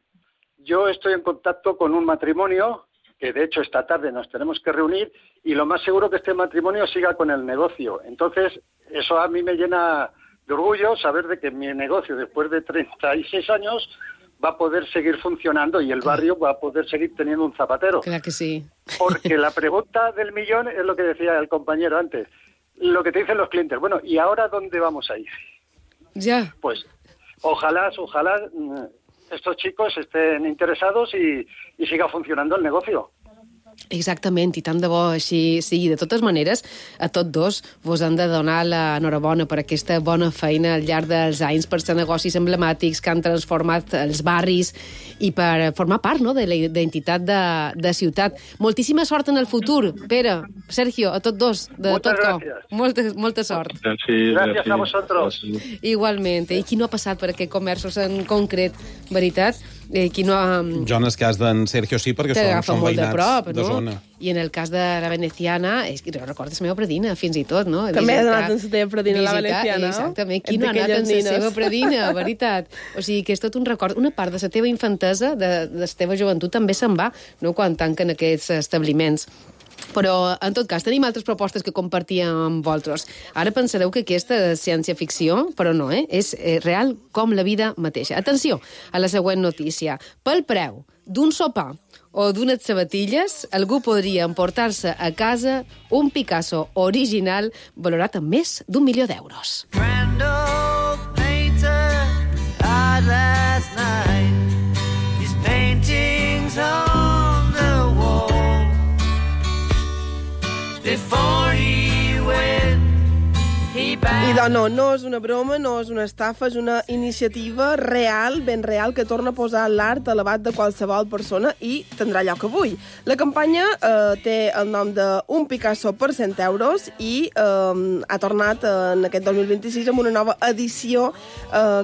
yo estoy en contacto con un matrimonio que de hecho esta tarde nos tenemos que reunir y lo más seguro que este matrimonio siga con el negocio. Entonces, eso a mí me llena de orgullo saber de que mi negocio después de 36 años va a poder seguir funcionando y el barrio va a poder seguir teniendo un zapatero. Claro que sí. Porque la pregunta del millón es lo que decía el compañero antes. Lo que te dicen los clientes, bueno, ¿y ahora dónde vamos a ir? Ya. Pues ojalá estos chicos estén interesados y siga funcionando el negocio. Exactament, i tant de bo així sigui. De totes maneres, a tots dos vos han de donar l'enhorabona per aquesta bona feina al llarg dels anys, per ser negocis emblemàtics que han transformat els barris i per formar part, no?, de la identitat de ciutat. Moltíssima sort en el futur, Pere, Sergio, a tots dos, de Moltes tot cor. gràcies. Molta sort. Gràcies a vosaltres. Igualment. I qui no ha passat per aquests comerços en concret, veritat? Qui no ha... Jo en el cas d'en Sergio sí, perquè són molt de veïnats prop, de zona. I en el cas de la veneciana, és que recordes la meva predina, fins i tot, no? També has anat en la teva predina, la veneciana, no? Exactament. Qui no ha anat en la seva predina, veritat? O sigui, que és tot un record. Una part de la teva infantesa, de la teva joventut, també se'n va, no?, quan tanquen aquests establiments. Però, en tot cas, tenim altres propostes que compartíem amb vosaltres. Ara pensareu que aquesta és ciència-ficció, però no, és real com la vida mateixa. Atenció a la següent notícia. Pel preu d'un sopar o d'unes sabatilles, algú podria emportar-se a casa un Picasso original valorat amb més d'1 milió d'euros. Last night, his paintings on the wall. Before he went, he I no és una broma, no és una estafa, és una iniciativa real, ben real, que torna a posar l'art a l'abast de qualsevol persona i tindrà lloc avui. La campanya té el nom de Un Picasso per 100 euros i ha tornat en aquest 2026 amb una nova edició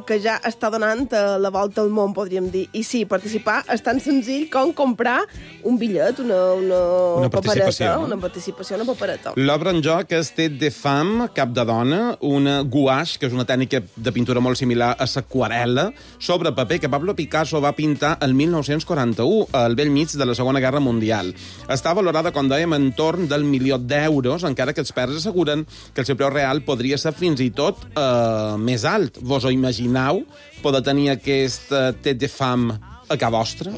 que ja està donant la volta al món, podríem dir. I sí, participar és tan senzill com comprar un bitllet, una papereta, una participació, una papereta. L'obra en joc és Tête de Femme, cap de dona, una gouache, que és una tècnica de pintura molt similar a l'aquarel·la, sobre paper que Pablo Picasso va pintar el 1941, al bell mig de la Segona Guerra Mundial. Està valorada, com dèiem, en torn del 1 milió d'euros, encara que experts asseguren que el seu preu real podria ser fins i tot més alt. Vos ho imagineu poder tenir aquest Tête de Femme a casa vostra?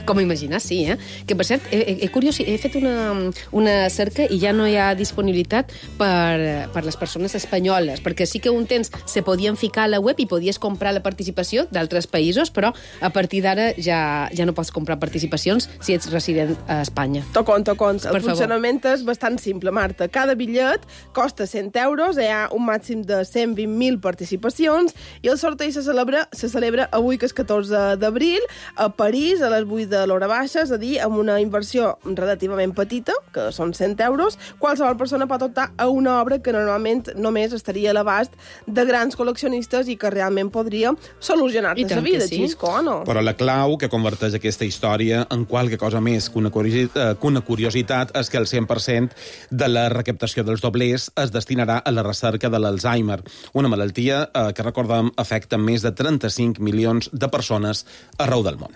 Com imaginar, sí, eh? Que, per cert, he fet una cerca i ja no hi ha disponibilitat per les persones espanyoles, perquè sí que un temps se podien ficar a la web i podies comprar la participació d'altres països, però a partir d'ara ja no pots comprar participacions si ets resident a Espanya. Tocons. El funcionament és bastant simple, Marta. Cada bitllet costa 100 euros, hi ha un màxim de 120.000 participacions i el sorteig se celebra avui, que és 14 d'abril, a París, a les 8 de l'hora baixa, és a dir, amb una inversió relativament petita, que són 100 euros, qualsevol persona pot optar a una obra que normalment només estaria a l'abast de grans col·leccionistes i que realment podria solucionar-te la vida, Xisco, o no? Però la clau que converteix aquesta història en qualque cosa més que una curiositat és que el 100% de la recaptació dels doblers es destinarà a la recerca de l'Alzheimer, una malaltia que, recordem, afecta més de 35 milions de persones arreu del món.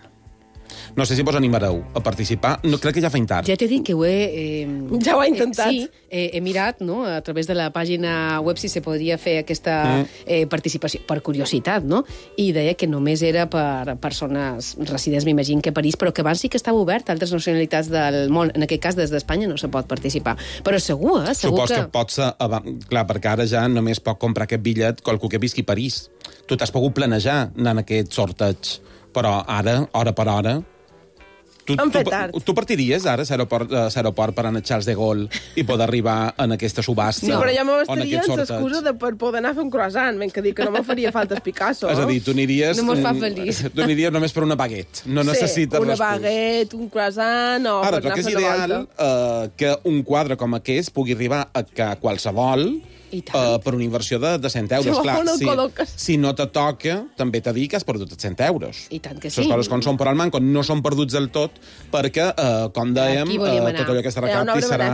No sé si vos animareu a participar. No, crec que ja feim tard. Ja t'he dit que ho he... Ja ho he intentat. Sí, he mirat, no?, a través de la pàgina web si se podria fer aquesta participació, per curiositat, no? I deia que només era per persones residents, m'imagino que a París, però que abans sí que estava obert a altres nacionalitats del món. En aquest cas, des d'Espanya no se pot participar. Però segur, segur Supos que pot ser... Clar, perquè ara ja només pot comprar aquest bitllet qualcú que visqui a París. Tu t'has pogut planejar anar en aquest sorteig, però ara, hora per hora... Tu partiries ara a l'aeroport per anar a Charles de Gaulle i poder arribar en aquesta subhasta? Sí, però ja m'estaria amb l'excusa per poder anar a fer un croissant, ben que dir que no me faria falta el Picasso. És a dir, tu aniries... No mos fa feliç. Tu aniries només per una baguette. No necessites una baguette, un croissant o per anar a fer la volta. Ara, és ideal que un quadre com aquest pugui arribar a qualsevol per una inversió de 100 euros. Clar, si no te toca, també t'ha dit que has perdut 100 euros. I tant que sí. Les coses com són per al manco no són perduts del tot, perquè, com dèiem, tot allò que es recapti serà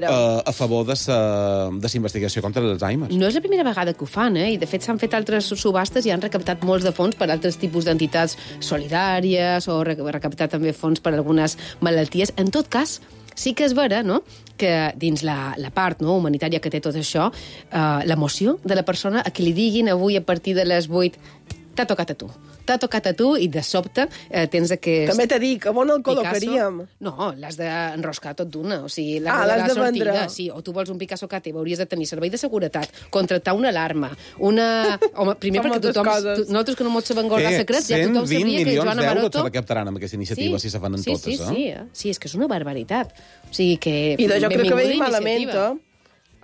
a favor de la investigació contra l'Alzheimer. No és la primera vegada que ho fan, i de fet s'han fet altres subhastes i han recaptat molts de fons per altres tipus d'entitats solidàries o recaptat també fons per algunes malalties. En tot cas, sí que és vera, no?, que dins la part humanitària que té tot això, l'emoció de la persona a qui li diguin avui a partir de les 8 t'ha tocat a tu. T'ha tocat a tu i de sobte tens aquest... També t'he dit que on el col·locaríem. No, l'has d'enroscar tot d'una. O sigui, la l'has de sortida. vendre. Sí, o tu vols un Picasso que teva, hauries de tenir servei de seguretat, contractar una alarma, una... Home, primer perquè tothom... Nosaltres que no ens sabem guardar secrets, ja tothom sabria que Joana 120 milions d'euros Maroto... se recaptaran amb aquesta iniciativa si se fan totes, Sí, és que és una barbaritat. O sigui que... I jo crec que ve benvinguda malament, iniciativa.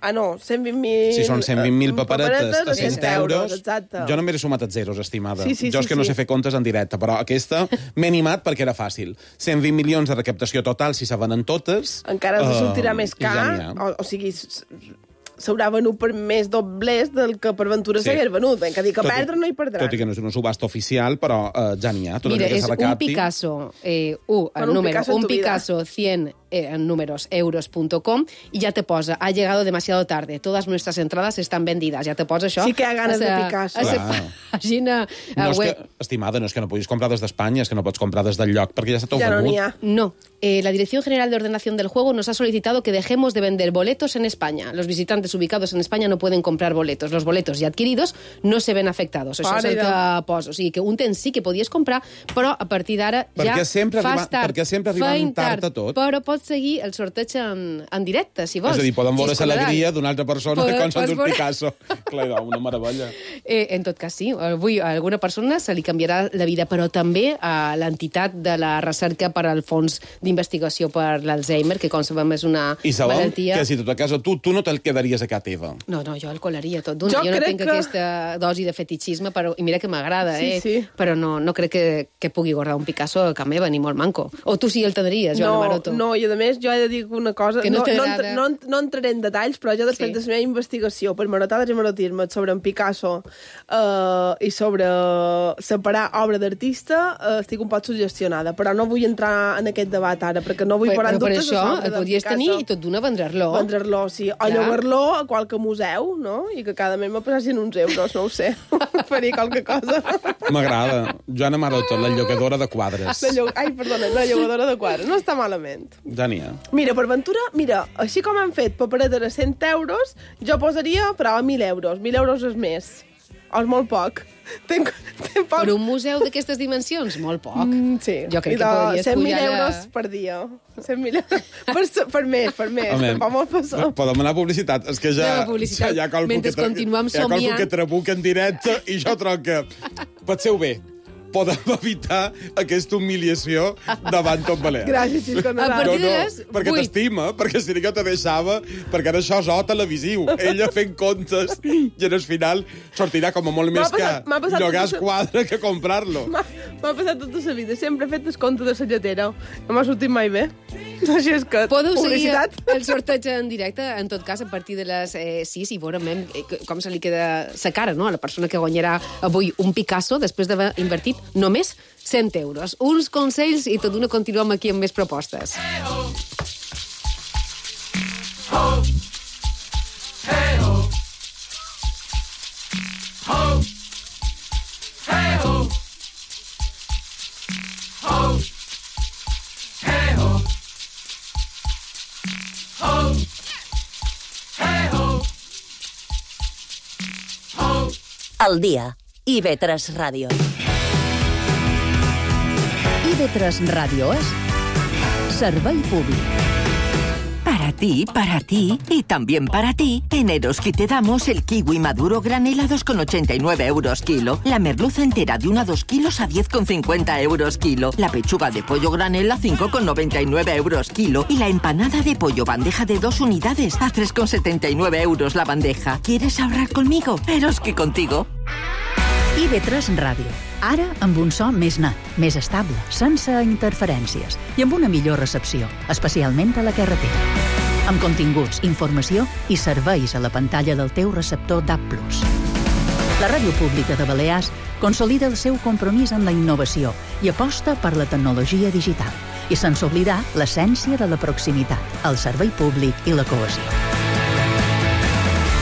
Ah, no, 120.000... Si són 120.000 paperetes a 100 euros... Exacte. Jo només he sumat els zeros, estimada. Sí, jo és que no sé fer comptes en directe, però aquesta m'he animat perquè era fàcil. 120 milions de recaptació total si se venen totes... Encara ens sortirà més car, o sigui... s'haurà venut per més doblers del que per Ventura s'hagués venut. Que dir que perdre no hi perdran. Tot i que no és una subhasta oficial, però ja n'hi ha. Mira, és un Picasso, un Picasso 100 en números euros.com y ya te posa, ha llegado demasiado tarde, todas nuestras entradas están vendidas. Ja te posa això. Sí que ha ganes de Picasso. Pàgina web. Estimada, no és que no puguis comprar des d'Espanya, és que no pots comprar des del lloc, perquè ja s'ha tot venut. No. La Dirección General de Ordenación del Juego nos ha solicitado que dejemos de vender boletos en España. Los visitantes ubicados en España no pueden comprar boletos. Los boletos ya adquiridos no se ven afectados. Això és el que poso. O sigui, que un temps sí que podies comprar, però a partir d'ara ja fas tard. Perquè sempre arriben tard a tot. Però pots seguir el sorteig en directe, si vols. És a dir, poden veure l'alegria d'una altra persona que consta d'un Picasso. Clar, una meravella. En tot cas, sí. Avui a alguna persona se li canviarà la vida, però també a l'entitat de la recerca per al Fons d'Investigació per l'Alzheimer, que com sabem és una malaltia... I sabem que si tot a casa tu no te'l quedaries a casa teva. No, jo el colaria tot d'una. Jo no tinc aquesta dosi de fetichisme, i mira que m'agrada, però no crec que pugui guardar un Picasso a casa meva, ni molt manco. O tu sí el tindries, Joana Maroto. No, i a més jo he de dir una cosa, no entraré en detalls, però jo després de la meva investigació per marotades i marotismes sobre en Picasso i sobre separar obra d'artista, estic un poc suggestionada, però no vull entrar en aquest debat ara, perquè no vull parar en dubtes sobre Picasso. Per això el podries tenir i tot d'una vendre-lo. Vendre-lo, sí. O llogar-lo a qualque museu, no? I que cada mes me passessin uns euros, no ho sé. Faria qualque cosa. M'agrada. Joana Maroto, la llogadora de quadres. Ai, perdona, la llogadora de quadres. No està malament. Ja n'hi ha. Mira, per Ventura, així com han fet paperetes a 100 euros, jo posaria, però a 1.000 euros. 1.000 euros és més. O és molt poc. Tenc poc. Per un museu d'aquestes dimensions, molt poc. Sí. Jo crec que podries 100.000 euros per dia. 100.000 euros per mes. Podem anar a publicitat. És que ja hi ha qualcú que trabuca en directe i jo troc que penseu bé. Podem evitar aquesta humiliació davant tot Balear. Gràcies, Xisco. A partir de les 8. Perquè t'estima, perquè si no te deixava, perquè ara això és televisiu. Ella fent comptes i al final sortirà com a molt més car llogar el quadre que comprar-lo. M'ha passat tota la vida. Sempre he fet el compte de la lletera. No m'ha sortit mai bé. Així és que... Podeu seguir el sorteig en directe, en tot cas, a partir de les 6 i veurem com se li queda la cara, no?, a la persona que guanyarà avui un Picasso després d'haver invertit només 100 euros. Uns consells i tot d'una continuem aquí amb més propostes. Al dia. IB3 Radio. IB3 Radio es servei públic. Para ti y también para ti, en Eroski te damos el kiwi maduro granel a 2,89 euros kilo, la merluza entera de 1 a 2 kilos a 10,50 euros kilo, la pechuga de pollo granel a 5,99 euros kilo y la empanada de pollo bandeja de 2 unidades a 3,79 euros la bandeja. ¿Quieres ahorrar conmigo? Eroski contigo. IB3 Ràdio. Ara amb un so més net, més estable, sense interferències i amb una millor recepció, especialment a la carretera. Amb continguts, informació i serveis a la pantalla del teu receptor DAB+. La Ràdio Pública de Balears consolida el seu compromís amb la innovació i aposta per la tecnologia digital i sense oblidar l'essència de la proximitat, el servei públic i la cohesió.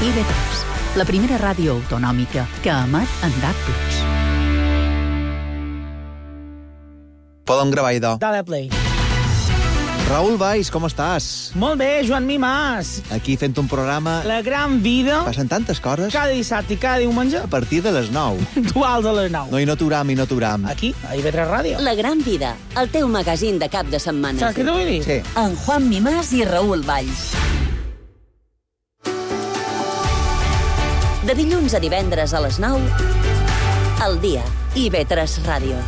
IB3, la primera ràdio autonòmica que emet en DAB+. Podem gravar idò. Dale play. Raül Valls, com estàs? Molt bé, Joan Mimàs. Aquí fent un programa... La gran vida. Passen tantes coses. Cada dissabte i cada diumenge. A partir de les 9. Dual de les 9. No, i no t'uram. Aquí, a IB3 Ràdio. La gran vida, el teu magazín de cap de setmana. Saps què t'ho vull dir? Sí. En Juan Mimàs i Raül Valls. De dilluns a divendres a les 9, al dia, IB3 Ràdio.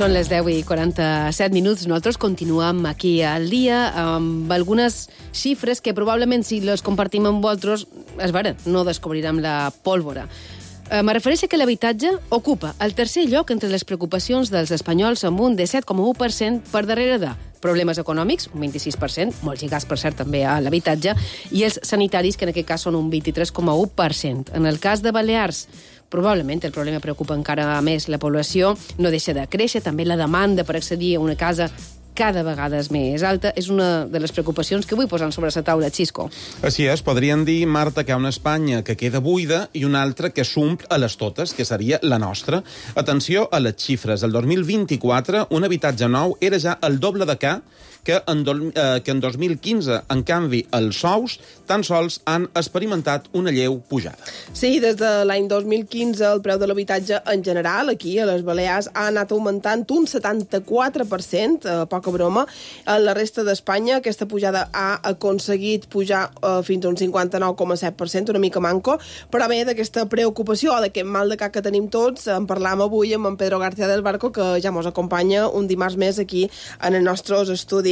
Són les 10:47. Nosaltres continuem aquí al dia amb algunes xifres que probablement si les compartim amb vosaltres, és vera, no descobrirem la pólvora. Me refereixo que l'habitatge ocupa el tercer lloc entre les preocupacions dels espanyols amb un 17,1% per darrere de problemes econòmics, un 26%, molt lligats, per cert, també a l'habitatge, i els sanitaris, que en aquest cas són un 23,1%. En el cas de Balears, probablement el problema preocupa encara més la població, no deixa de créixer, també la demanda per accedir a una casa cada vegada és més alta. És una de les preocupacions que vull posar sobre la taula, Xisco. Així és, podrien dir, Marta, que hi ha una Espanya que queda buida i una altra que s'omple a les totes, que seria la nostra. Atenció a les xifres. El 2024, un habitatge nou era ja el doble de que en 2015. En canvi, els sous tan sols han experimentat una lleu pujada. Sí, des de l'any 2015 el preu de l'habitatge en general, aquí a les Balears, ha anat augmentant un 74%, poca broma. A la resta d'Espanya aquesta pujada ha aconseguit pujar fins a un 59,7%, una mica manco, però bé, d'aquesta preocupació o d'aquest mal de cap que tenim tots, en parlam avui amb en Pedro García del Barco, que ja mos acompanya un dimarts més aquí en els nostres estudis.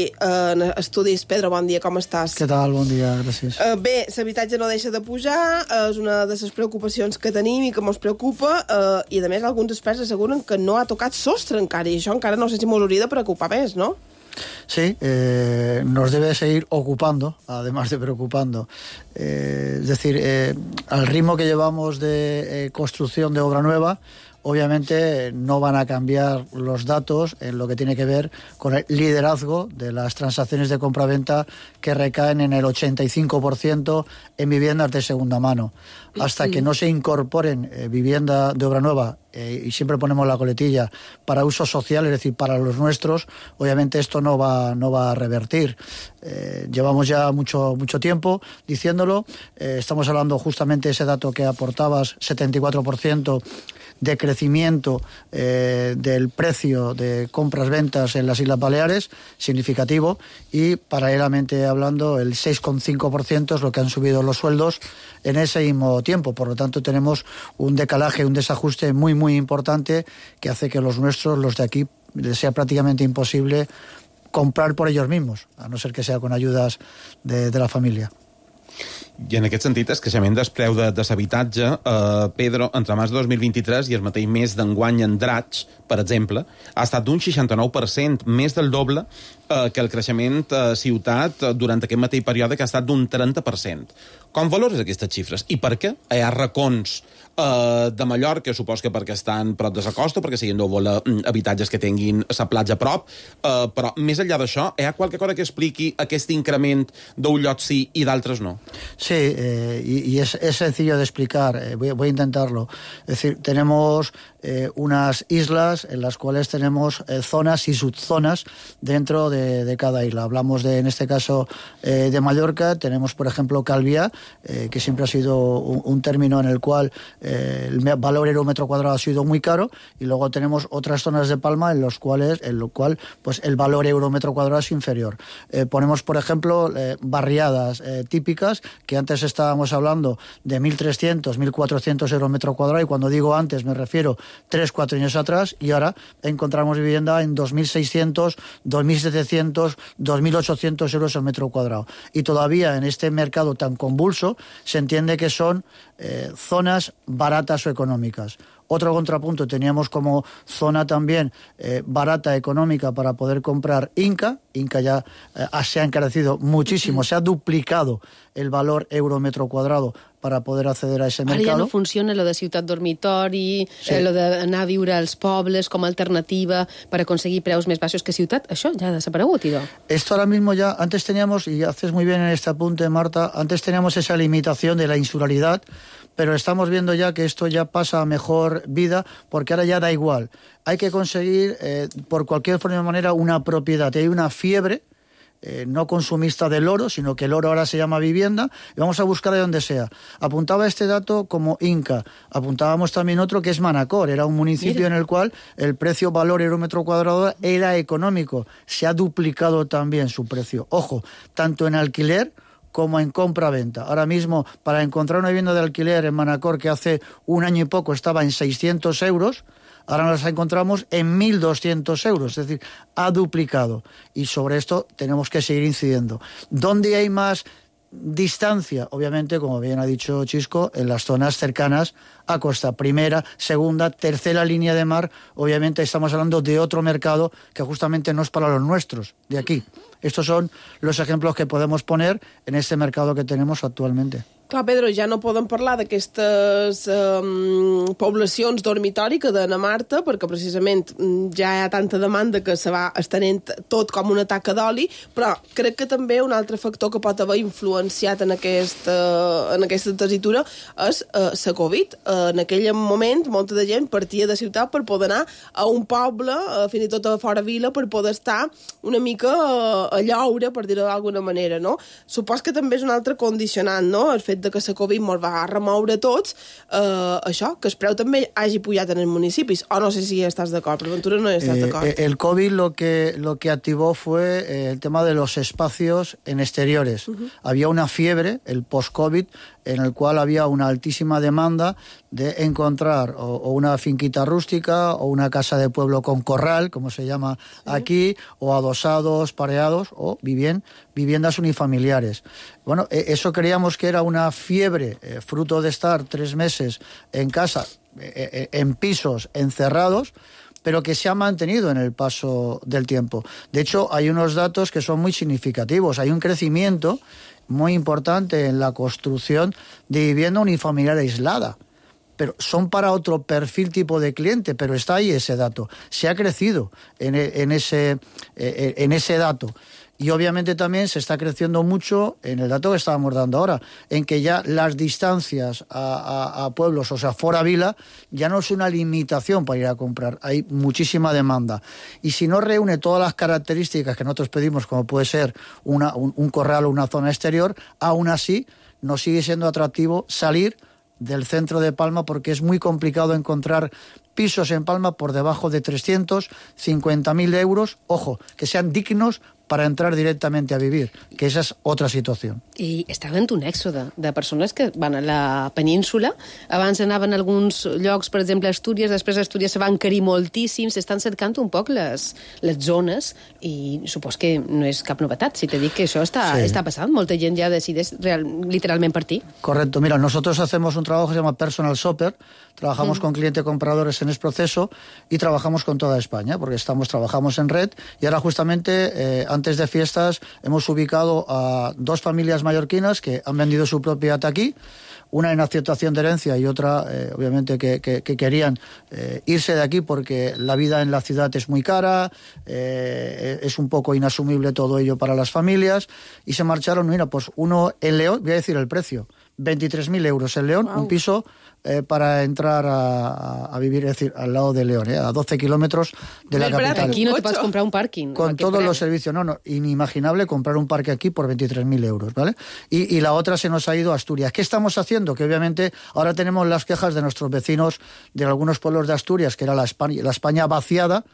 Pedro, bon dia, com estàs? Què tal? Bon dia, gràcies. Bé, l'habitatge no deixa de pujar, és una de les preocupacions que tenim i que ens preocupa, i a més alguns experts asseguren que no ha tocat sostre encara, i això encara no sé si ens hauria de preocupar més, no? Sí, nos debe seguir ocupando, además de preocupando. Es decir, al ritmo que llevamos de construcción de obra nueva, obviamente no van a cambiar los datos en lo que tiene que ver con el liderazgo de las transacciones de compraventa que recaen en el 85% en viviendas de segunda mano. Hasta que no se incorporen vivienda de obra nueva, y siempre ponemos la coletilla, para uso social, es decir, para los nuestros, obviamente esto no va a revertir. Llevamos ya mucho tiempo diciéndolo. Estamos hablando justamente de ese dato que aportabas, 74% de crecimiento del precio de compras-ventas en las Islas Baleares, significativo, y paralelamente hablando el 6,5% es lo que han subido los sueldos en ese mismo tiempo. Por lo tanto, tenemos un decalaje, un desajuste muy importante que hace que los nuestros, los de aquí, les sea prácticamente imposible comprar por ellos mismos, a no ser que sea con ayudas de la familia. I en aquest sentit, el creixement del preu de l'habitatge, Pedro, entre març de 2023 i el mateix mes d'enguany en Draig, per exemple, ha estat d'un 69%, més del doble que el creixement ciutat durant aquest mateix període, que ha estat d'un 30%. Com valores aquestes xifres? I per què? Hi ha racons de Mallorca, supos que perquè estan prop de la costa, perquè siguin habitatges que tinguin la platja a prop, però més enllà d'això, hi ha qualque cosa que expliqui aquest increment d'un lloc sí i d'altres no? Sí, y es sencillo de explicar, voy a intentarlo. Es decir, tenemos unas islas en las cuales tenemos zonas y subzonas dentro de cada isla. Hablamos en este caso de Mallorca, tenemos por ejemplo Calviá, que siempre ha sido un término en el cual el valor euro metro cuadrado ha sido muy caro, y luego tenemos otras zonas de Palma en lo cual pues el valor euro metro cuadrado es inferior. Ponemos por ejemplo barriadas típicas, que antes estábamos hablando de 1.300, 1.400 euros metro cuadrado, y cuando digo antes me refiero 3-4 años atrás, y ahora encontramos vivienda en 2.600, 2.700, 2.800 euros el metro cuadrado. Y todavía en este mercado tan convulso se entiende que son zonas baratas o económicas. Otro contrapunto, teníamos como zona también barata, económica, para poder comprar Inca. Inca ya se ha encarecido muchísimo, se ha duplicado el valor euro metro cuadrado para poder acceder a ese mercado. Ara ja no funciona lo de ciutat dormitori, lo d'anar a viure als pobles com a alternativa per aconseguir preus més baixos que ciutat. Això ja ha desaparegut, idò. Esto ahora mismo ya, antes teníamos, y haces muy bien en este apunte, Marta, antes teníamos esa limitación de la insularidad, pero estamos viendo ya que esto ya pasa a mejor vida, porque ahora ya da igual. Hay que conseguir, por cualquier forma de manera, una propiedad. Hay una fiebre no consumista del oro, sino que el oro ahora se llama vivienda, y vamos a buscar de donde sea. Apuntaba este dato como Inca, apuntábamos también otro que es Manacor, era un municipio en el cual el precio valor euro metro cuadrado era económico, se ha duplicado también su precio. Ojo, tanto en alquiler como en compra-venta. Ahora mismo, para encontrar una vivienda de alquiler en Manacor que hace un año y poco estaba en 600 euros, ahora nos encontramos en 1.200 euros, es decir, ha duplicado. Y sobre esto tenemos que seguir incidiendo. ¿Dónde hay más distancia? Obviamente, como bien ha dicho Chisco, en las zonas cercanas a costa. Primera, segunda, tercera línea de mar. Obviamente estamos hablando de otro mercado que justamente no es para los nuestros, de aquí. Estos son los ejemplos que podemos poner en este mercado que tenemos actualmente. Clar, Pedro, ja no podem parlar d'aquestes poblacions dormitori que deien a Marta, perquè precisament ja hi ha tanta demanda que se va estenent tot com una taca d'oli, però crec que també un altre factor que pot haver influenciat en aquesta tessitura és la Covid. En aquell moment, molta de gent partia de ciutat per poder anar a un poble, fins i tot a fora vila, per poder estar una mica a lloure, per dir-ho d'alguna manera, no? Supos que també és un altre condicionant, no?, el fet de que la Covid ens va remoure tots, això, que el preu també hagi pujat en els municipis. O no sé si estàs d'acord, per Ventura no estàs d'acord. El COVID lo que activó fue el tema de los espacios en exteriores. Había una fiebre, el post-COVID, en el cual había una altísima demanda de encontrar o una finquita rústica o una casa de pueblo con corral, como se llama aquí, o adosados, pareados, o viviendas unifamiliares. Bueno, eso creíamos que era una fiebre, fruto de estar 3 meses en casa, en pisos encerrados, pero que se ha mantenido en el paso del tiempo. De hecho, hay unos datos que son muy significativos. Hay un crecimiento muy importante en la construcción de vivienda unifamiliar aislada. Pero son para otro perfil tipo de cliente, pero está ahí ese dato. Se ha crecido en ese dato. Y obviamente también se está creciendo mucho en el dato que estábamos dando ahora, en que ya las distancias a pueblos, o sea, fora vila, ya no es una limitación para ir a comprar. Hay muchísima demanda. Y si no reúne todas las características que nosotros pedimos, como puede ser un corral o una zona exterior, aún así nos sigue siendo atractivo salir del centro de Palma, porque es muy complicado encontrar pisos en Palma por debajo de 350.000 euros, ojo, que sean dignos para entrar directamente a vivir, que esa és otra situació. I està havent un èxode de persones que van a la península, abans anaven a alguns llocs, per exemple, a Astúries, després a Astúries se van encarir moltíssim, s'estan cercant un poc les zones, i supos que no és cap novetat, si te dic que això està passant, molta gent ja decideix literalment partir. Correcto, mira, nosotros hacemos un trabajo que se llama Personal Shopper, trabajamos con clientes compradores en ese proceso y trabajamos con toda España, porque trabajamos en red, y ahora justamente antes de fiestas hemos ubicado a 2 familias mallorquinas que han vendido su propiedad aquí, una en aceptación de herencia y otra, obviamente, que querían irse de aquí porque la vida en la ciudad es muy cara, es un poco inasumible todo ello para las familias, y se marcharon. Mira, pues uno en León, voy a decir el precio, 23.000 euros en León, un piso para entrar a vivir, es decir, al lado de León, a 12 kilómetros de la capital. Aquí no te puedes comprar un parking. Con todos los servicios, no, inimaginable comprar un parque aquí por 23.000 euros, ¿vale? Y la otra se nos ha ido a Asturias. ¿Qué estamos haciendo? Que obviamente ahora tenemos las quejas de nuestros vecinos de algunos pueblos de Asturias, que era la España vaciada,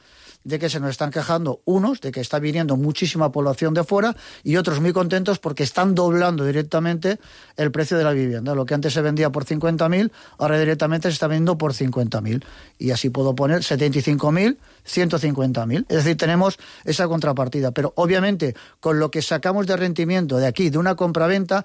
de que se nos están quejando unos, de que está viniendo muchísima población de fuera, y otros muy contentos porque están doblando directamente el precio de la vivienda. Lo que antes se vendía por 50.000, ahora directamente se está vendiendo por 50.000. Y así puedo poner 75.000, 150.000. Es decir, tenemos esa contrapartida. Pero obviamente, con lo que sacamos de rendimiento de aquí, de una compraventa,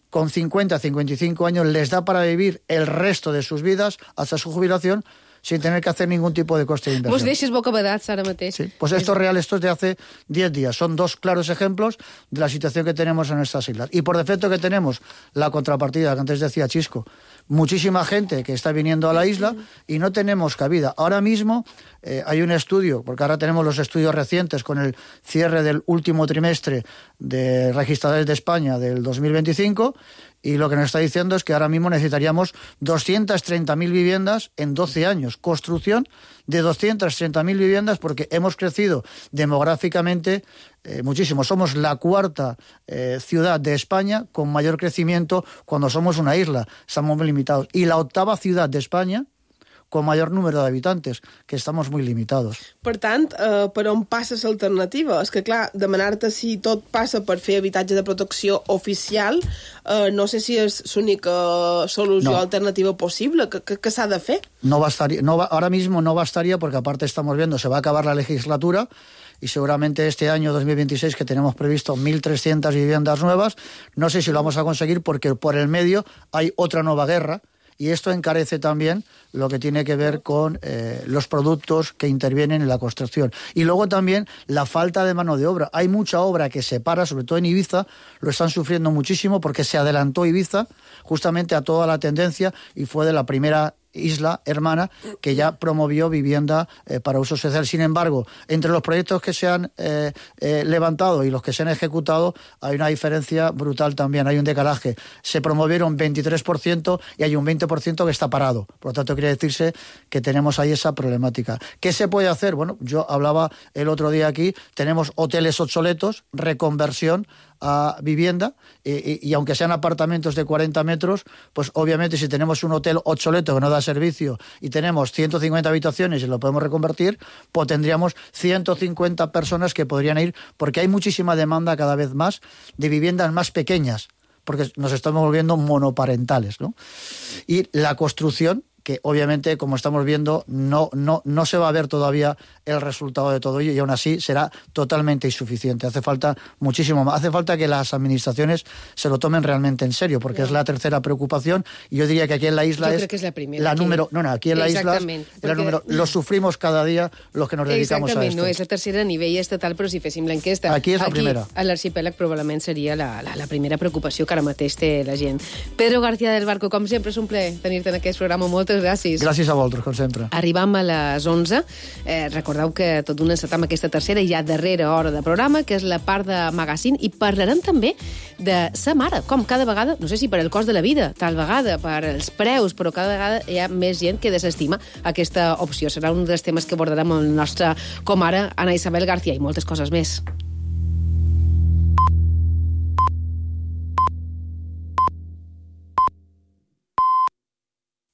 con 50, 55 años, les da para vivir el resto de sus vidas hasta su jubilación, sin tener que hacer ningún tipo de coste de inversión. Vos deixes bocabadats ara mateix. Sí, pues esto es real, esto es de hace 10 días. Son dos claros ejemplos de la situación que tenemos en estas islas. Y por defecto que tenemos la contrapartida que antes decía Chisco, muchísima gente que está viniendo a la isla y no tenemos cabida. Ahora mismo hay un estudio, porque ahora tenemos los estudios recientes con el cierre del último trimestre de registradores de España del 2025, y lo que nos está diciendo es que ahora mismo necesitaríamos 230.000 viviendas en 12 años. Construcción de 230.000 viviendas porque hemos crecido demográficamente muchísimo. Somos la cuarta ciudad de España con mayor crecimiento cuando somos una isla. Estamos muy limitados. Y la octava ciudad de España con mayor número de habitantes, que estamos muy limitados. Per tant, per on passa l'alternativa? És que, clar, demanar-te si tot passa per fer habitatge de protecció oficial, no sé si és l'única solució alternativa possible. ¿Qué s'ha de fer? Ahora mismo no bastaría, porque aparte estamos viendo, se va a acabar la legislatura, y seguramente este año 2026, que tenemos previsto 1.300 viviendas nuevas, no sé si lo vamos a conseguir porque por el medio hay otra nueva guerra, y esto encarece también lo que tiene que ver con los productos que intervienen en la construcción. Y luego también la falta de mano de obra. Hay mucha obra que se para, sobre todo en Ibiza, lo están sufriendo muchísimo porque se adelantó Ibiza justamente a toda la tendencia y fue de la primera isla hermana que ya promovió vivienda para uso social. Sin embargo, entre los proyectos que se han levantado y los que se han ejecutado hay una diferencia brutal también, hay un decalaje. Se promovieron 23% y hay un 20% que está parado. Por lo tanto, quiere decirse que tenemos ahí esa problemática. ¿Qué se puede hacer? Bueno, yo hablaba el otro día aquí, tenemos hoteles obsoletos, reconversión a vivienda, y aunque sean apartamentos de 40 metros, pues obviamente si tenemos un hotel obsoleto que no da servicio y tenemos 150 habitaciones y lo podemos reconvertir, pues tendríamos 150 personas que podrían ir, porque hay muchísima demanda cada vez más de viviendas más pequeñas, porque nos estamos volviendo monoparentales, ¿no? Y la construcción, que obviamente, como estamos viendo, no se va a ver todavía el resultado de todo ello, y aún así será totalmente insuficiente. Hace falta muchísimo más. Hace falta que las administraciones se lo tomen realmente en serio, porque es la tercera preocupación, y yo diría que aquí en la isla creo que es la primera. La número... No, aquí en la isla lo sufrimos cada día los que nos dedicamos a esto. No, és la tercera a nivell estatal, però si féssim l'enquesta... Aquí és la primera. A l'arxipèlag probablement seria la primera preocupació que ara mateix té la gent. Pedro García del Barco, com sempre, és un plaer tenir-te en aquest programa. Moltes gràcies. Gràcies a vosaltres, com sempre. Arribam a les 11. Recordeu que tot d'una encetam aquesta tercera i ja darrera hora de programa, que és la part de magazine, i parlarem també de sa mare, com cada vegada, no sé si per el cost de la vida, tal vegada per els preus, però cada vegada hi ha més gent que desestima aquesta opció. Serà un dels temes que abordarem amb el nostre comare, Ana Isabel García, i moltes coses més.